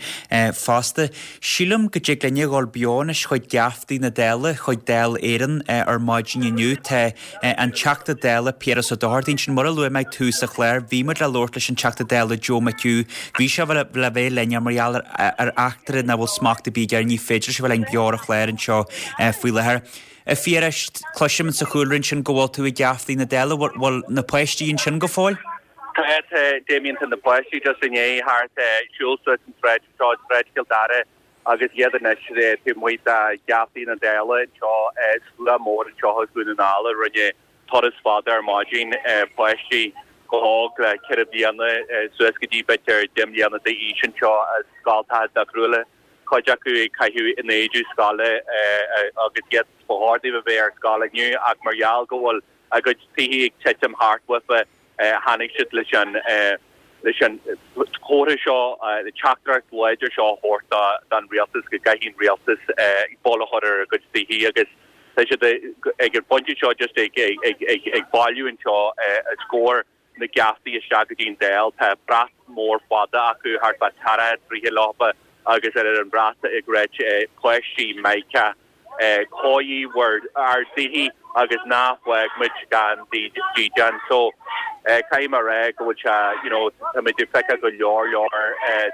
A: fosta. Sílim go dtig linne a dhul beo anois chuig geaftaí na Dála, chuig Dáil Éireann ar maidin inniu. Tá an Teachta Dála Piaras Ó Dochartaigh ansin. Mar a luaigh mé ag tús an chláir, bhí muid le labhairt leis an Teachta Dála Joe McHugh. Bhí sé le bheith linn mar gheall ar eachtra nach bhfuil smacht ar bith air, ní féidir leis a bheith linn beo ar an chlár anseo faoi láthair. A Phiarais, cloisim sa chúlra ansin go bhfuil tú ag geaftaí na Dála, bhfuil na páistí ansin go fóill?
K: Tá, tá, Damien, tá na páistí just i ndiaidh thart siúl suas an tsráid anseo, Sráid Chill Dara, agus iad anois taobh amuigh de gheaftaí na Dála anseo, slua mór anseo as Dún na nGall a rinne turas fada ar maidin, páistí chomh hóg le ceithre bliana suas go dtí b'fhéidir deich mbliana d'aois anseo as scoltacha difriúla, cuid acu ag caitheamh in éide scoile agus iad ba chóir dóibh a bheith ar scoil inniu ach mar gheall go bhfuil a gcuid tithe ag titim thart uafa tháinig siad leis an leis an chomhartha seo, an teachtaireacht láidir seo a thabhairt don rialtas go gcaithfidh an rialtas bail a chur ar a gcuid tithe agus tá siad ag an bpointe seo just ag ag ag ag bailiú anseo os comhair na geaftaí isteach go dtí an Dáil. Tá brat mór fada acu thart fá tríocha troithe leofa agus ar an bhrat ag ráit páistí Micah cóirigh bhur ár dtithe agus ná fág muid gan dídean. So caithfidh mé a rá go bhfuil sé you know táimid ag feiceáil go leor leor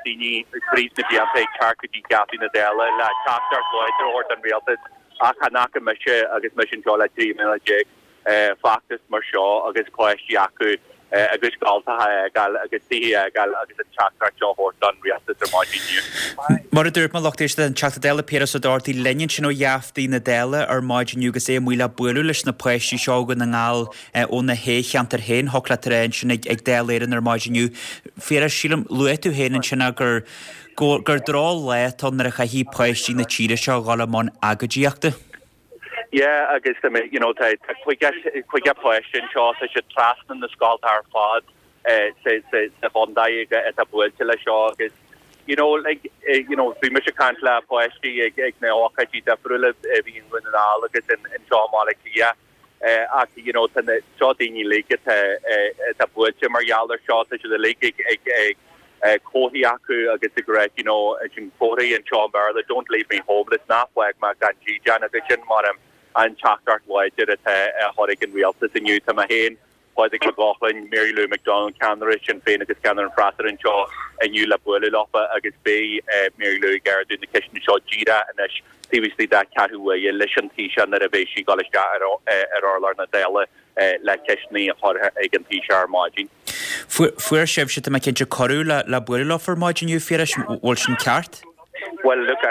K: daoine tríd na blianta ag teacht go dtí geaftaí na Dála le teachtaireacht láidir a thabhairt don rialtas ach chan fhaca mise agus mise anseo le trí mbliana déag feachtas mar seo agus páistí acu a gcuid scoltacha a fhágáil agus tithe a fhágáil agus an teachtaireacht seo a thabhairt don rialtas ar maidin inniu.
A: Mar a dúirt mé, lucht éisteachta, an Teachta Dála Piaras Ó Dochartaigh linn ansin ó gheaftaí na Dála ar maidin inniu agus é amuigh le bualadh leis na páistí seo ó Dhún na nGall óna shé cheantar féin, thiocfadh leat a rá ansin ag Dáil Éireann ar maidin inniu. Phiarais, sílim, luaigh tú féin ansin gur gur drochlá atá ann nuair a chaithfidh páistí na tíre seo a dhul i mbun agóidíochta.
K: Yeah, agus tá mé, you know, tá tá caoga caoga páiste anseo, tá siad trasna na scolta ar fad sa sa sa chontae atá buailte leis seo agus you know, like, you know, bhí mise ag caint le páistí ag ag na hócáidí difriúla a bhí i nDún na nGall agus in anseo i mBaile Átha Cliath ach you know, tá na seo daoine uilig atá atá buailte mar gheall ar seo, tá siad uilig ag ag ag comharthaí acu agus ag rá you know sin comharthaí anseo i mBéarla don't leave me homeless ná fág mé gan dídean agus sin mar an teachtaireacht láidir atá á chur ag an rialtas inniu. Tá mé féin, Pádraig Mac Lochlainn, Mary Lou McDonald, ceannaire Sinn Féin agus ceannaire an fhreasúra anseo inniu le bualadh leofa agus beidh Mary Lou ag ardú na ceisteanna seo díreach anois taobh istigh de cheathrú uaire leis an Taoiseach nuair a bheidh sí ag dul isteach ar urlár na Dála le ceisteanna a chur ag an Taoiseach ar maidin.
A: Fuair sibhse, tá mé cinnte, cuireadh le le bualadh leofa ar maidin inniu, Phiarais, bhfuil sin ceart?
K: Bhuel, look,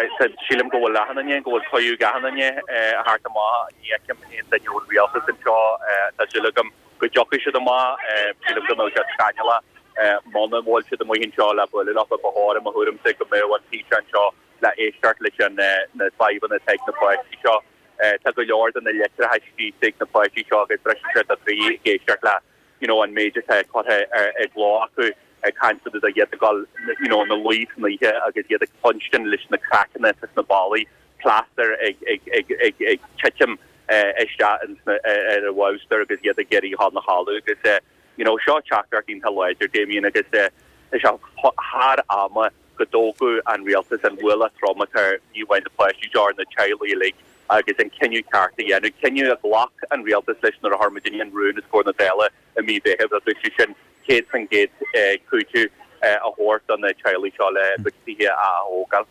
K: sílim go bhfuil achan duine, go bhfuil cuireadh ag achan duine a theacht amach. Ní fheicim aon duine ón rialtas anseo. Tá súil agam go dtiocfaidh siad amach. Sílim go mbeadh sé scannalach muna bhfuil siad amuigh anseo le bualadh leofa. Ba chóir, i mo thuairimse, go mbeadh an Taoiseach anseo le éisteacht leis an na fadhbanna atá ag na páistí seo. Tá go leor de na litreacha scríte ag na páistí seo agus briseann sé do chroí ag éisteacht le you know an méid atá curtha i gcló acu ag caint fá dtaobh de iad ag dul you know ina luí san oíche agus iad ag cluinstin leis na craiceanna atá sna ballaí, plaster ag ag ag ag ag titim isteach ins na ar an bhabhstar agus iad ag iarraidh dhul 'na chodladh agus you know seo teachtaireacht iontach láidir Damien agus tá sé thar ama go dtógfadh an rialtas an ualach trom atá ar ní amháin na páistí seo ar na teaghlaigh uilig agus an cinneadh ceart a dhéanamh, cinneadh a ghlac an rialtas leis nuair a chuir muidinne an rún os comhair na Dála i mí Mheithimh agus sé sin céad faoin gcéad cúiteamh a thabhairt do na teaghlaigh seo le a gcuid tithe a ath-thógáil.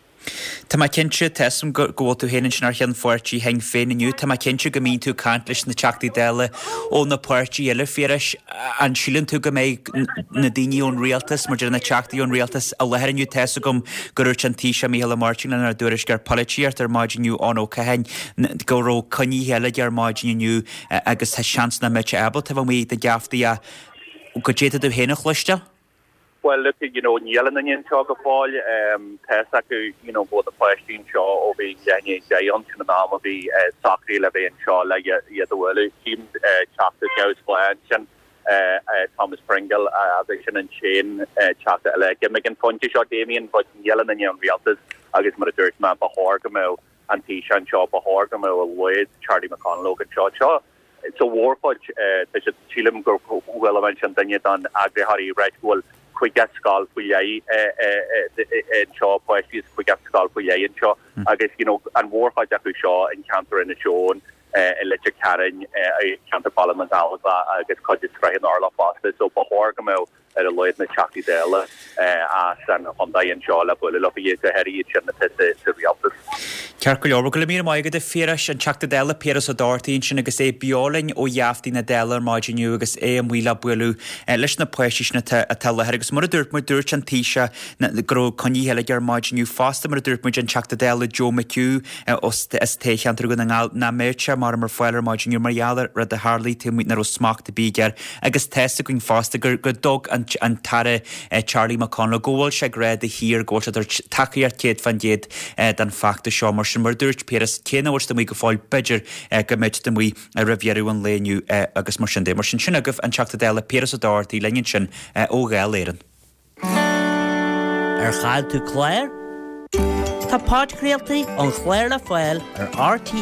A: Tá mé cinnte, tá 'fhios a'm go bhfuil tú féin ansin ar cheann pháirtí Shinn Féin inniu, tá mé cinnte go mbíonn tú ag caint leis na Teachtaí Dála ó na páirtithe eile, Phiarais. An síleann tú go mbeidh na daoine ón rialtas, mar deir na Teachtaí ón rialtas, i láthair inniu? Tá 'fhios agam gur dhúirt an Taoiseach Micheál Ó Máirtín lenár dtuairisceoir polaitíochta ar maidin inniu, Eoin Ó Catháin, go raibh coinnithe eile aige ar maidin inniu agus tá seans nach mbeidh sé ábalta a bheith amuigh ag na geaftaí ach go dtí tú féin a chloisteáil.
K: Well look, you know, níl aon duine anseo go fóill. Tá 'fhios acu, you know, go bhfuil na páistí anseo ó bhí leath i ndiaidh a deich ann, sin an am a bhí socraithe le bheith anseo le iad a bhualadh. Tchím teachta neamhspleách ansin, Thomas Pringle, agus sin an t-aon teachta eile. Ag an phointe seo, Damien, but níl aon duine ón rialtas agus mar a dúirt mé, ba chóir go mbeadh an Taoiseach anseo, ba chóir go mbeadh a laghad Charlie McConalogue anseo. Seo sa mhórchuid, tá siad, sílim gur chuala mé ansin duine den eagraitheoirí ag ráit go bhfuil caoga scoil faoi leith anseo, páistí as caoga scoil faoi leith anseo agus you know an mhórchuid acu seo in ceantar Inis Eoghain, i Leitir Ceanainn, i ceantar Bhaile na nGallóglach agus cuid de Srath na Orlach fosta so ba chóir go mbeadh ar a laghad na Teachtaí Dála as an chontae anseo le bualadh leo, go háirithe iad sin atá sa rialtas.
A: Ceart go leor, bhuel go raibh míle maith agat a Phiarais, an Teachta Dála Piaras Ó Dochartaigh ansin agus é beo linn ó gheaftaí na Dála ar maidin inniu agus é amuigh le bualadh leis na páistí sin atá atá i láthair agus mar a dúirt muid, dúirt an Taoiseach go raibh coinnithe eile aige ar maidin inniu fosta mar a dúirt muid an Teachta Dála Joe McHugh as toghcheantar Dhún na nGall nach mbeadh sé mar ar fáil ar maidin inniu mar gheall ar rud a tharlaigh taobh amuigh nach raibh smacht ar bith air agus tá 'fhios againn fosta gur go dtug an an tAire Charlie McConalogue go bhfuil sé ag rá de shíor go bhfuil sé ag tabhairt tacaíocht céad fán gcéad don fheachtas seo. Mar sin, mar a dúirt Piaras, cé nach bhfuil siad amuigh go fóill, b'fhéidir go mbeidh siad amuigh roimh dheireadh an lae inniu agus mar sin de. Mar sin, sin agaibh an Teachta Dála Piaras Ó Dochartaigh linn ansin ó Dháil Éireann.
E: Ar chaill tú clár? Tá podchraoltaí an chláir le fáil ar rte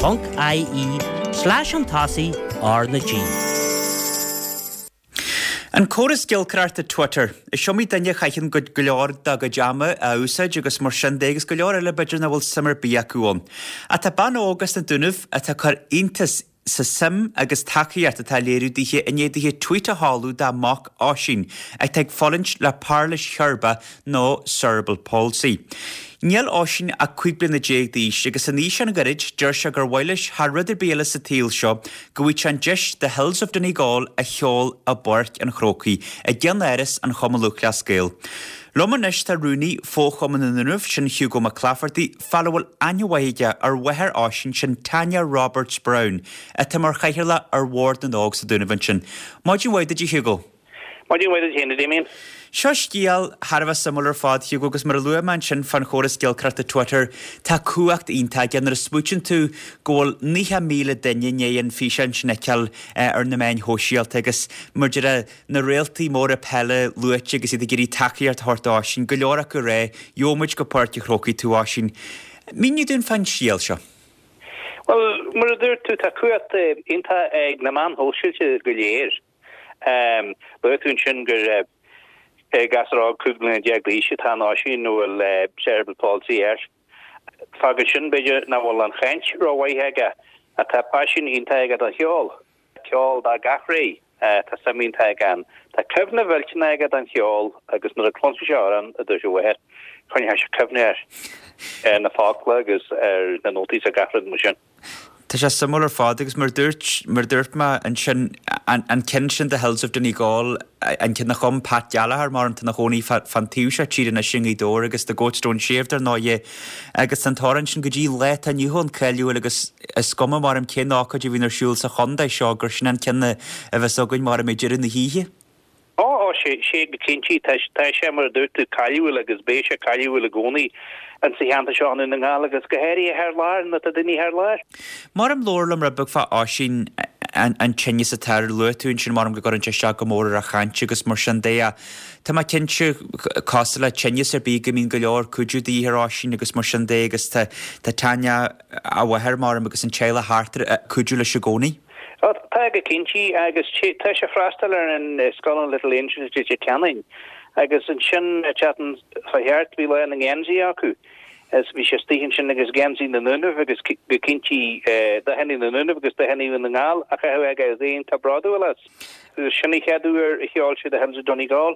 E: ponc ie slash an tosaigh R na G.
A: An córas giolcaireachta Twitter. Is iomaí duine a chaitheann go leor dá gcuid ama á úsáid agus mar sin de agus go leor eile b'fhéidir nach bhfuil suim ar bith acu ann. Ach tá bean óg as na Dúnaibh atá ag cur iontas sa suim agus tacaíocht atá á léiriú dithe i ndiaidh dithe tweet a sheoladh dá mac Oisín atá ag fulaingt le pairilis cheirbreach nó cerebral palsy. Níl Oisín ach cúig bliana déag d'aois agus in aois an-ghairid deir sé gur mhaith leis thar rud ar bith eile sa tsaol seo go bhfaigheadh sé an deis The Hills of Donegal a cheol i bPáirc an Chrócaigh i gceannáras an Chumann Lúthchleas Gael. Liom anois tá rúnaí Fho-Chumann na nDúnaibh, sin Hugo Mac Laifeartaigh, fear a bhfuil aithne mhaith aige ar mháthair Oisín, sin Tanya Roberts Browne, atá mar chathaoirleach ar Bhord na nÓg sa Dúnaibh ansin. Maidin mhaith duit a Hugo.
L: Maidin mhaith duit féin, a Damien.
A: Seo scéal thar a bheith suimiúil ar fad, Hugo, agus mar a luaigh mé ansin fán chóras giolcaireachta Twitter, tá cumhacht iontach aige nuair a smaoitíonn tú go bhfuil naocha míle duine i ndiaidh an físeán sin a fheiceáil ar na meáin shóisialta agus mar a deir na réaltaí móra peile luaite agus iad ag iarraidh tacaíocht a thabhairt d'Oisín, go leor acu ag rá, gheobhaidh muid go Páirc an Chrócaigh tú, Oisín. Mínigh dúinn fán scéal seo.
L: Bhuel, mar a dúirt tú, tá cumhacht iontach ag na meáin shóisialta go léir. Luaigh tú ansin gur gasúr óg cúig bliana déag d'aois atá in Oisín a bhfuil cerebral palsy air. Fágann sin, b'fhéidir, nach bhfuil an chaint rómhaith aige ach tá paisean iontach aige don cheol. Ceol de gach ré, tá suim iontach aige ann. Tá cuimhne mhillteanach aige don cheol agus nuair a chluinfeadh sé amhrán, a dúirt a mháthair, choinneoidh sé cuimhne air, ar na focla agus ar na nótaí is ar gach rud mar sin.
A: Tá sé suimiúil ar fad agus mar a dúirt, mar a dúirt mé ansin, an, an ceann sin The Hills of Donegal, an ceann a chum Pat Gallagher mar atá ina chónaí fán taobh seo tíre anois i Ngaoth Dobhair agus The Goatstone Shaved ar ndóighe agus an t-amhrán sin go dtí lá atá inniu ann cáiliúil agus is cuma mar cén ócáid a bhíonn ar siúl sa chontae seo gur sin an ceann a bheas againn mar ag deireadh na hoíche.
L: Ó, ó, sé, sé go cinnte, tá, tá sé mar a dúirt tú cáiliúil agus beidh sé cáiliúil i gcónaí in sa cheantar seo i nDún na nGall agus go háirithe thar lear, nuair atá daoine thar lear.
A: Mar am labhair liom rud beag fá Oisín, an, an tinneas atá air, luaigh tú ansin mar go gcuireann sé isteach go mór ar a chaint agus mar sin de ach tá mé cinnte, cosúil le tinneas ar bith go mbíonn go leor cuidiú de dhíth ar Oisín agus mar sin de agus tá, tá Tanya, a mháthair mar agus an teaghlach thart air ag cuidiú leis i gcónaí.
L: Ó, tá go cinnte, agus tá sé ag freastal ar an scoil an Little Angels i Leitir Ceanainn agus ansin an tseachtain seo thart bhí lá na ngeansaí acu Is bhí sé istigh ansin agus geansaí na nDúnaibh agus go cinnte dathanna na nDúnaibh agus dathanna Dhún na nGall á chaitheamh aige agus é iontach bródúil as. Sin an chéad uair a cheol sé The Hills of Donegal.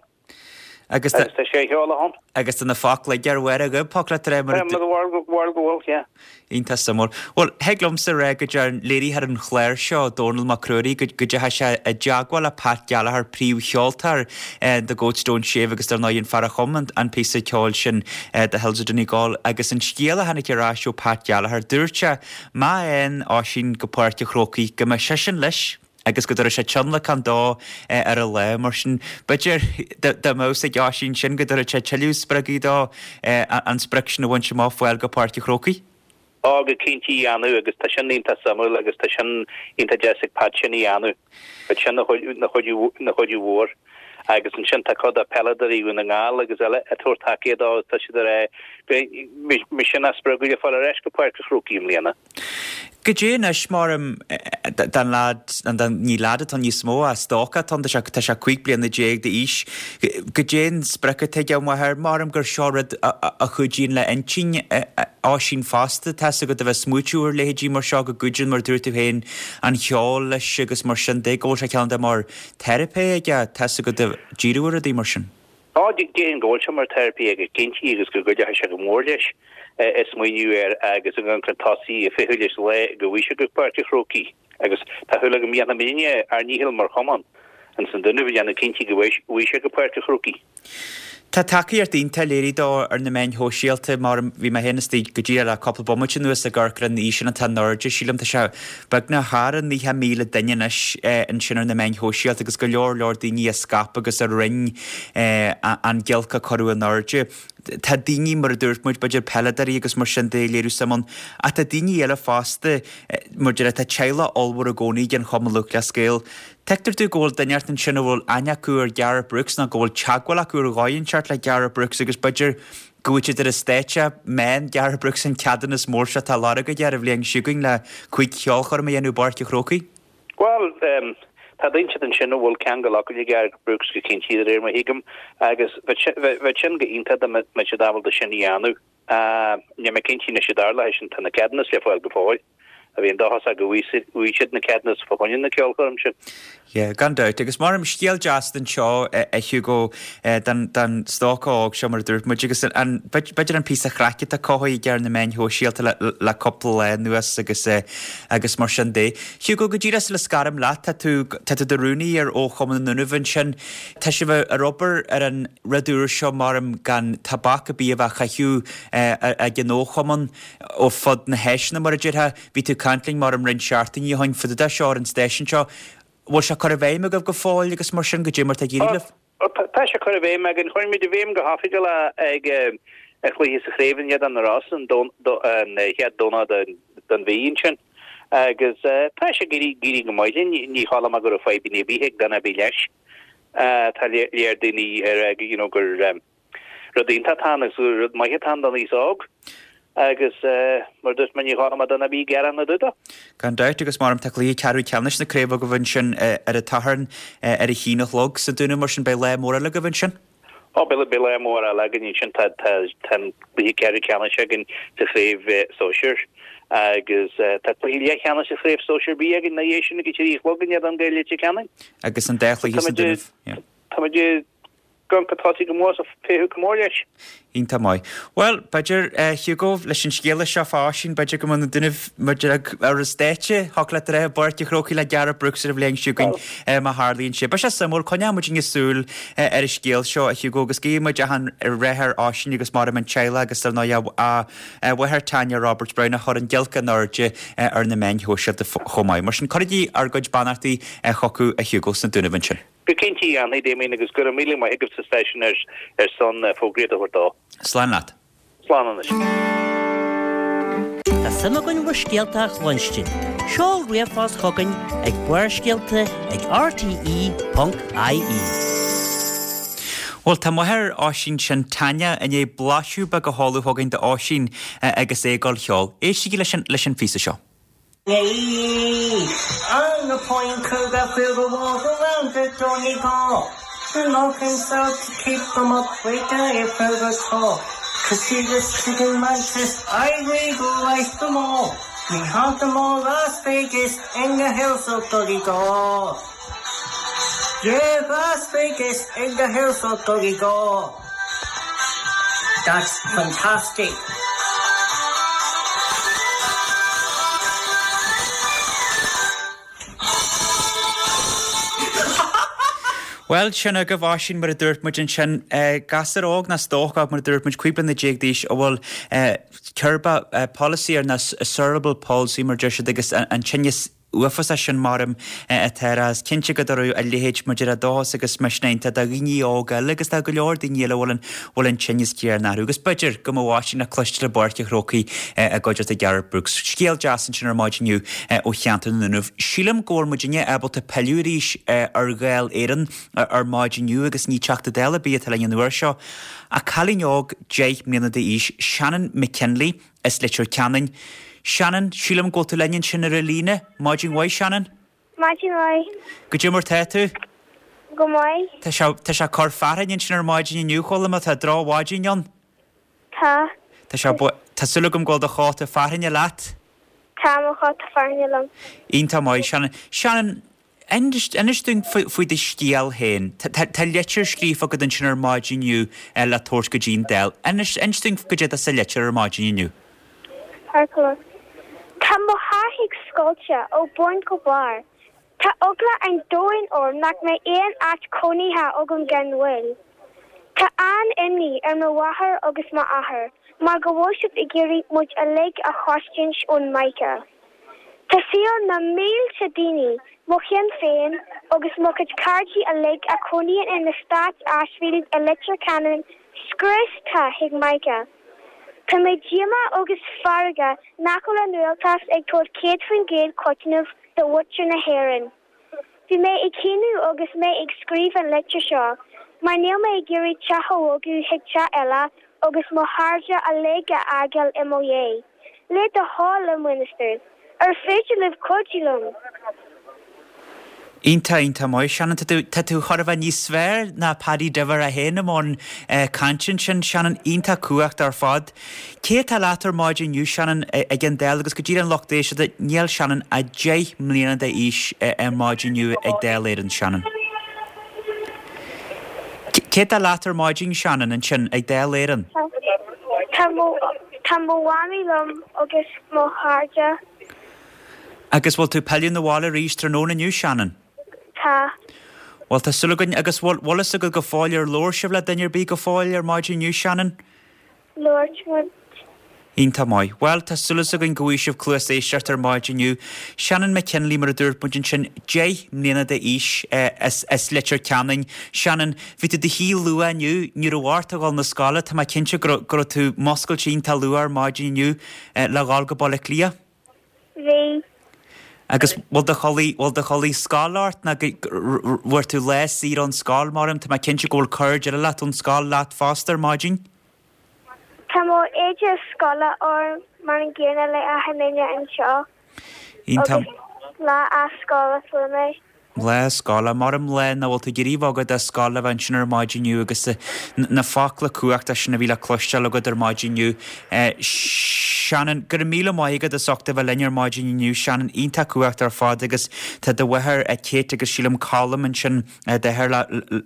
A: Agus
L: tá sé cheol ann.
A: Agus tá na focla aige ar bharr a ghoib, thiocfadh leat a rá mar a.
L: Tá, mar go bhfuil, yeah.
A: Iontach suimiúil. Bhuel, thig liomsa a rá go dtearn léiritheoir an chláir seo, Dónall Mac Ruairí, go dteachaigh sé i dteagmháil le Pat Gallagher, príomhcheoltóir The Goats Don't Shave agus dar ndóigh an fear a chum an píosa ceoil sin The Hills of Donegal agus an scéal a tháinig ar ais ó Pat Gallagher, dúirt sé má théann Oisín go Páirc an Chrócaigh go mbeidh seisean leis agus go dtabharfaidh sé tionlacan dó ar an lá. Mar sin, b'fhéidir dá mbeadh fhios ag Oisín sin go dtabharfadh sé tuilleadh spreagaidh dó an sprioc sin a bhaint amach, fáil go Páirc an Chrócaigh.
L: Á, go cinnte a dhéanamh agus tá sin iontach suimiúil agus tá sin iontach deas ag Pat sin a dhéanamh. Bheadh sin ina chuidiú mhór. Agus ansin tá cuid de peileadóirí Dhún na nGall agus eile ag tabhairt tacaíocht dó agus tá siad ag rá go mbeidh sin á spreagadh le fáil ar ais go Páirc an Chrócaigh i mbliana.
A: Goidé anois mar don leaid, ní leaid atá níos mó, ach stócach atá ann, tá sé tá sé cúig bliana déag d'aois. Goidé an sprioc atá aige, a mháthair, maram gur seo rud a chuidíonn le intinn Oisín fosta, tá's agat a bheith ag smaoitiú ar leithéidí mar seo, go gcuidíonn, mar a dúirt tú féin, an cheol leis agus mar sin de, go bhfuil sé cineál de mar teiripe aige, tá's agat, díriú ar rudaí mar sin.
L: Á, déarfainn go bhfuil sé mar teiripe aige cinnte agus go gcuideoidh sé go mór leis ag smaoineamh air agus ag amharc chun tosaigh ag feitheamh leis an lá go bhfaighidh sé go Páirc an Chrócaigh agus tá súil agam go ndéanfaidh muidne ár ndícheall mar chumann ins an Dúnaibh a dhéanamh cinnte go bhfaighidh sé go Páirc an Chrócaigh.
A: Tá tacaíocht iontach léirithe dó ar na meáin shóisialta mar bhí mé féin istigh go díreach le cúpla bomaite anuas ag amharc ar an fhíseán atá in airde, sílim tá sé beagnach thar an naocha míle duine anois ansin ar na meáin shóisialta agus go leor leor daoine a scaip agus a roinn an giolc a cuireadh in airde. Tá daoine, mar a dúirt muid, b'fhéidir peileadóirí agus mar sin de ag léiriú suim ann ach tá daoine eile fosta, mar deir tá teaghlach ollmhór i gcónaí ag an Chumann Lúthchleas Gael. Tuigtear domh go bhfuil duine inteacht ansin a bhfuil aithne acu ar Gareth Brooks nó go bhfuil teagmháil acu ar dhóigh inteacht le Gareth Brooks agus b'fhéidir go bhfaighidh siad ar an stáitse má fhaigheann Gareth Brooks an ceadúnas mór seo atá á lorg aige ar an bhliain seo chugainn le cúig cheolchoirm a dhéanamh i bPáirc an Chrócaigh.
L: Bhuel, tá duine inteacht ansin a bhfuil ceangal acu le Gareth Brooks go cinnte de réir mar a thuigim agus bheadh sin go iontach dá mbeadh siad ábalta sin a dhéanamh. Níl mé cinnte anois an dtarlóidh sin, tá na ceadúnais le fáil go fóill. a bhíonn dóchasach go bhfaighidh siad na ceadúnais fá choinne na ceolchoirme sin.
A: Yeah, gan dabht. Agus mar scéal deas anseo a Hugo don don stócach óg seo mar a dúirt muid agus an b'fhéidir an píosa craic atá cothaithe aige ar na meáin shóisialta le le cúpla lá anuas agus agus mar sin de. Hugo, go díreach sula scaraim leat, tá tú tá tú i do rúnaí ar Fhochumann na nDúnaibh ansin. Tá sibh ar obair ar an rud úr seo maram gan tobac ar bith a bheith á chaitheamh ag an fhochumann ó fud na háiseanna mar a déarfá. Bhí tú ag caint linn maram roinnt seachtainí ó shin fá dtaobh de seo ar an stáisiún seo. Bhfuil sé curtha i bhfeidhm agaibh go fóill agus mar sin goidé mar atá ag éirí libh?
L: Tá sé curtha i bhfeidhm againn. Chuir muid i bhfeidhm go hoifigiúil é ag an chluiche sa chraobh in éadan na Rosann an chéad Domhnach den mhí ansin agus tá sé ag éirí go maith linn. Ní chuala mé go raibh fadhbanna ar bith ag duine ar bith leis. Tá léir daoine ar you know gur rud iontach atá ann agus rud maith atá ann don aos óg agus mar a dúirt mé ní chuala mé duine ar bith ag gearán ina dtaobh de.
A: Gan dabht agus maram tá cluiche ceathrú ceannais na craoibhe agaibh ansin ar an tSatharn ar a haon a chlog sa Dúnaibh mar sin beidh lá mór eile agaibh ansin.
L: Ó beidh beidh lá mór eile againn ansin tá tá tá an cluiche ceathrú ceannais againn sa chraobh sóisir agus tá cluiche leathcheannais sa chraobh sóisir B againn ina dhiaidh sin ag a trí a chlog in éadan Gaeil Leitir Ceanainn.
A: Agus an dá chluiche sa Dúnaibh. Yeah.
L: Tá muid ag amharc chun tosaigh go mór is ag féachaint go mór leis.
A: Iontach maith. Bhuel, b'fhéidir, a Hugo, leis an scéala seo fá Oisín, b'fhéidir go mbeidh na Dúnaibh muid ar an stáitse, thiocfadh leat a rá, i bPáirc an Chrócaigh le Gareth Brooks ar an bhliain seo chugainn, má tharlaíonn sé. Beidh sé suimiúil, coinneoidh muidinne súil ar an scéal seo, a Hugo, agus guíonn muid achan rath ar Oisín agus maram an teaghlach agus ar ndóigh a mháthair Tanya Roberts Browne a chuir an giolc in airde ar na meáin shóisialta chomh maith. Mar sin, cuirigí ár gcuid beannachtaí chucu, a Hugo, sna Dúnaibh ansin.
L: Go cinnte a dhéanfaidh, Damien, agus go raibh míle maith agat sa stáisiún ar son fógraíocht a thabhairt dó.
A: Slán leat.
L: Slán anois.
E: Tá suim againn bhur scéalta a chluinstin. Seol ríomhphost chugainn ag Barrscéalta ag rte ponc ie.
A: Bhuel, tá máthair Oisín sin, Tanya, i ndiaidh blaiseadh beag a sheoladh chugainn d'Oisín agus é ag dul a cheol. Éistigí leis an leis an phíosa seo.
E: On the point could I feel the walls around the Donegal. To lock himself to keep them up with the further talk.
M: Casitas Chicken Mantis Éirigh go maith go mór Ní hanta mó Las Vegas in the hills of Donegal Yeah, Las Vegas in the hills of Donegal That's fantastic.
A: Bhuel, sin agaibh Oisín, mar a dúirt muid ansin, gasúr óg nó stócach óg, mar a dúirt muid, cúig bliana déag d'aois, a bhfuil ceirbeach palsy air nó cerebral palsy mar deir siad agus an tinneas uafásach sin maram atá air. Is cinnte go dtabharfadh a leithéid maidir le dóchas agus misneach do dhaoine óga eile agus tá go leor daoine eile a bhfuil an bhfuil an tinneas céanna orthu. Agus b'fhéidir go mbeadh Oisín le cloisteáil i bPáirc an Chrócaigh i gcuideachta Gareth Brooks. Scéal deas ansin ar maidin inniu ó cheantar na nDúnaibh. Sílim go bhfuil muidinne ábalta pilleadh arís ar Dháil Éireann ar maidin inniu agus ní Teachta Dála ar bith atá linn an uair seo ach cailín óg deich mbliana d'aois, Shannon McKinley as Leitir Ceanainn. Shannon, sílim go bhfuil tú linn ansin ar an líne. Maidin mhaith, Shannon.
F: Maidin mhaith.
A: Goidé mar tá tú?
F: Go maith.
A: Tá sé, tá sé ag cur fearthainn ansin ar maidin inniu, chuala mé, tá drochmhaidin ann.
F: Tá.
A: Tá sé, tá súil agam go bhfuil do chóta fearthainne leat.
F: Tá mo chóta fearthainne liom.
A: Iontach maith, Shannon. Shannon, inis, inis dúinn faoi, faoi do scéal féin. Tá, tá, tá litir scríofa agat ansin ar maidin inniu le tabhairt go dtí an Dáil. Inis, inis dúinn goidé atá sa litir ar maidin inniu.
F: Ceart go leor. Tá mo theach scoilte ó bun go barr. Tá eagla an domhain orm nach mbeidh aon áit cónaithe agam gan mhoill. Tá an-imní ar mo mháthair agus m'athair mar go bhfuil siad ag iarraidh muid uilig a chosaint ón Mica. Tá saol na mílte daoine, mo chlann féin agus mo chuid cairde uilig a chónaíonn in eastát Ashfield i Leitir Ceanainn scriosta ag Mica. Tá mé díomách agus feargach nach bhfuil an rialtas ag tabhairt céad faoin gcéad cúiteamh do mhuintir na hÉireann. Bhí mé ag caoineadh agus mé ag scríobh an litir seo, mar níl mé ag iarraidh teach a bhogadh chuig teach eile agus mo chairde uilig a fhágáil i mo dhiaidh. Le do thoil, a Minister, ar féidir libh cuidiú liom?
A: Iontach, iontach maith, Shannon. Tá tú, tá tú chóir a bheith níos fearr ná Paddy Diver é féin i mbun cainte ansin, Shannon. Iontach cumhachtach ar fad. Cé atá leat ar maidin inniu, Shannon, ag an Dáil agus go díreach don lucht éisteachta, níl Shannon ach deich mbliana d'aois ar maidin inniu ag Dáil Éireann, Shannon. Cé atá leat ar maidin, Shannon, ansin ag Dáil Éireann?
F: Tá mo, tá mo mhamaí liom agus mo chairde.
A: Agus bhfuil tú ag pilleadh 'na bhaile arís tráthnóna inniu, Shannon?
F: Tá.
A: Bhuel, tá súil againn, agus bhfuil bhfuil fhios agat go fóill ar labhair sibh le duine ar bith go fóill ar maidin inniu, Shannon?
F: Labhair muid.
A: Iontach maith. Bhuel, tá súil againn go bhfaighidh sibh cluas éisteachta ar maidin inniu. Shannon McKinley, mar a dúirt muid ansin, deich mbliana d'aois as as Leitir Ceanainn. Shannon, bhí tú i do shuí luath inniu, ní raibh ort a dhul 'na scoile, tá mé cinnte go raibh go raibh tú muscailte iontach luath ar maidin inniu le dhul go Baile Átha Cliath.
F: Bhí.
A: Agus bhfuil do chulaith, bhfuil do chulaith scoile ort nó bhfuair tú lá saor ón scoil mar tá mé cinnte go bhfuil cairde eile leat ón scoil leat fosta ar maidin?
F: Tá mo éide scoile orm mar an gcéanna le achan duine anseo.
A: Iontach.
F: Agus lá as scoil a fuair mé.
A: Lá scoile, mar an lá nach bhfuil tú ag iarraidh bogadh de scoil a bheith ansin ar maidin inniu agus na focla cumhachtacha sin a bhí le cloisteáil agat ar maidin inniu. Shannon, go raibh míle maith agat as ucht a bheith linn ar maidin inniu. Shannon, iontach cumhachtach ar fad agus tá do mháthair Kate agus sílim Colm ansin d'athair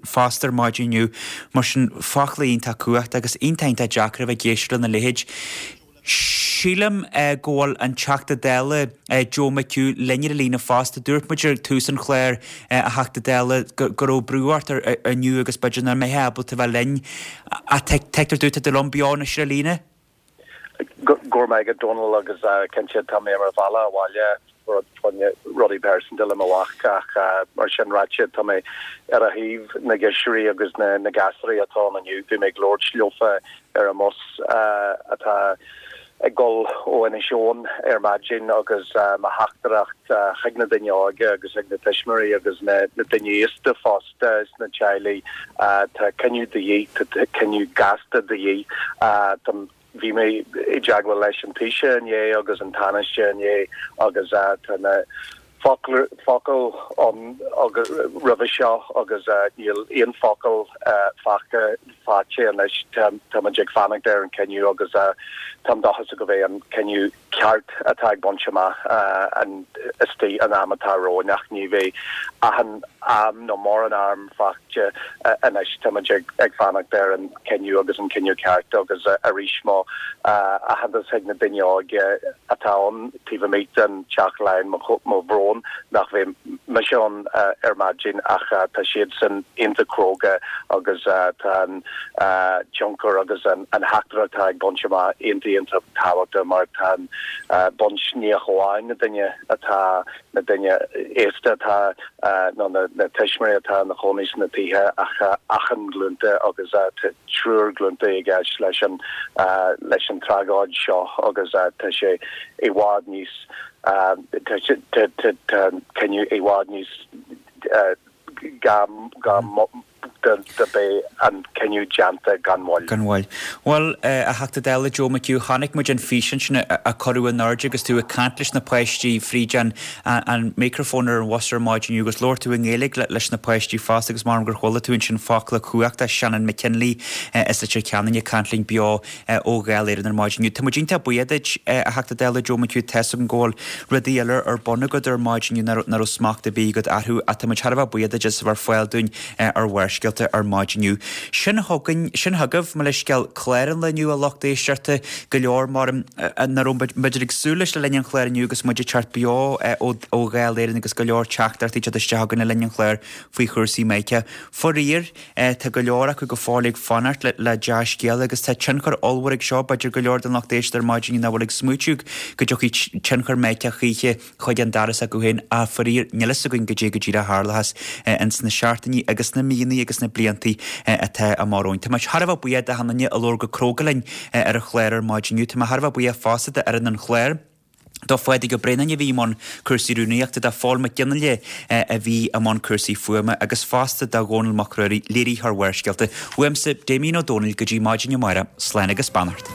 A: fosta ar maidin inniu. Mar sin, focla iontach cumhachtach agus iontach iontach deacair a bheith ag éisteacht lena leithéid. Sílim go bhfuil an Teachta Dála Joe McHugh linn ar an líne fosta. Dúirt muid ar tús an chláir, a Theachta Dála, go raibh brú ort inniu agus b'fhéidir nach mbeifeá ábalta bheith linn. Ach tuigtear domh, tá tú liom beo anois ar an líne?
N: Go raibh maith agat Dónal agus cinnte tá mé ar mo bhealach abhaile rudaí pearsanta le mo mhac ach mar sin ráite tá mé ar a thaobh na girseachaí agus na na gasúraí atá ann inniu. Bhí mé ag labhairt leofa ar an mbus atá ag dul ó Inis Eoghain ar maidin agus mo theachtaireacht chuig na daoine óga agus chuig na tuismitheoirí agus na na daoine aosta fosta sna teaghlaigh tá cinneadh de dhíth, tá cinneadh gasta de dhíth. Tá Bhí mé i dteagmháil leis an Taoiseach inné agus an Tánaiste inné agus tá na focail ann roimhe seo agus níl aon focal faighte faighte anois táimid ag fanacht ar an cinneadh agus táim dóchasach go bheidh an cinneadh ceart atá ag baint amach an istigh an am atá romhainn ach ní bheidh achan am nó mórán am faighte anois táimid ag ag fanacht ar an cinneadh agus an cinneadh ceart agus arís mo aitheantas chuig na daoine óga atá ann taobh amuigh den Teach Laighean mo bhrón nach bheidh mise ann ar maidin ach tá siadsan iontach cróga agus tá an tionchar agus an theachtaireacht atá ag baint amach iontach iontach tábhachtach mar tá an baint ní amháin na daoine atá na daoine aosta atá nó na tuismitheoirí atá ina chónaí sna tithe ach achan glúnta agus triúr glúnta i gceist leis an leis an tragóid seo agus tá sé i bhfad níos tá cinneadh i bhfad níos gá gá do beidh an cinneadh déanta gan mhoill.
A: Gan mhoill. Bhuel, a Theachta Dála Joe McHugh, chonaic muid an físeán sin a cuireadh in airde agus tú ag caint leis na páistí fríd an an micreafón ar an bhus ar maidin inniu agus labhair tú i nGaeilge leis na páistí fosta agus mar gur chuala tú ansin focla cumhachta Shannon McKinley as Leitir Ceanainn ag caint linn beo ó Dháil Éireann ar maidin inniu. Tá muid iontach buíoch duit, a Theachta Dála Joe McHugh, tá's agam go bhfuil rudaí eile ar bun agat ar maidin inniu nach raibh smacht ar bith agat orthu ach tá muid thar a bheith buíoch duit as a bheith ar fáil dúinn ar Bharrscéalta ar maidin inniu. Sin chugainn, sin chugaibh, mo leithscéal, clár an lae inniu a lucht éisteachta, go leor mar nach raibh muid ag súil leis le linn an chláir inniu agus muid ag teacht beo ó Dháil Éireann agus go leor teachtaireachtaí ag teacht isteach againn le linn an chláir faoi chúrsaí Mica. Faraor, tá go leor acu go fóill ag fanacht le dea-scéala agus tá tionchar ollmhór ag seo, b'fhéidir go leor den lucht éisteachta ar maidin nach bhfuil ag smaoitiú go dtiocfaidh tionchar Mica choíche chuig an doras acu féin ach faraor níl fhios againn goidé go díreach a tharlóchas ins na seachtainí agus na míonna agus na bliantaí atá amach romhainn. Tá muid thar a bheith buíoch d'achan duine a labhair go cróga linn ar an chlár ar maidin inniu. Tá mé thar a bheith buíoch fosta d'fhoireann an chláir. Do Phádraig Ó Braonáin a bhí i mbun cúrsaí rúnaíochta, do Phól Mac Fhionnghaile a bhí i mbun cúrsaí fuaime agus fosta do Dhónall Mac Ruairí, léiritheoir Bharrscéalta. Uaimse, Damien Ó Dónaill, go dtí maidin amárach, slán agus beannacht.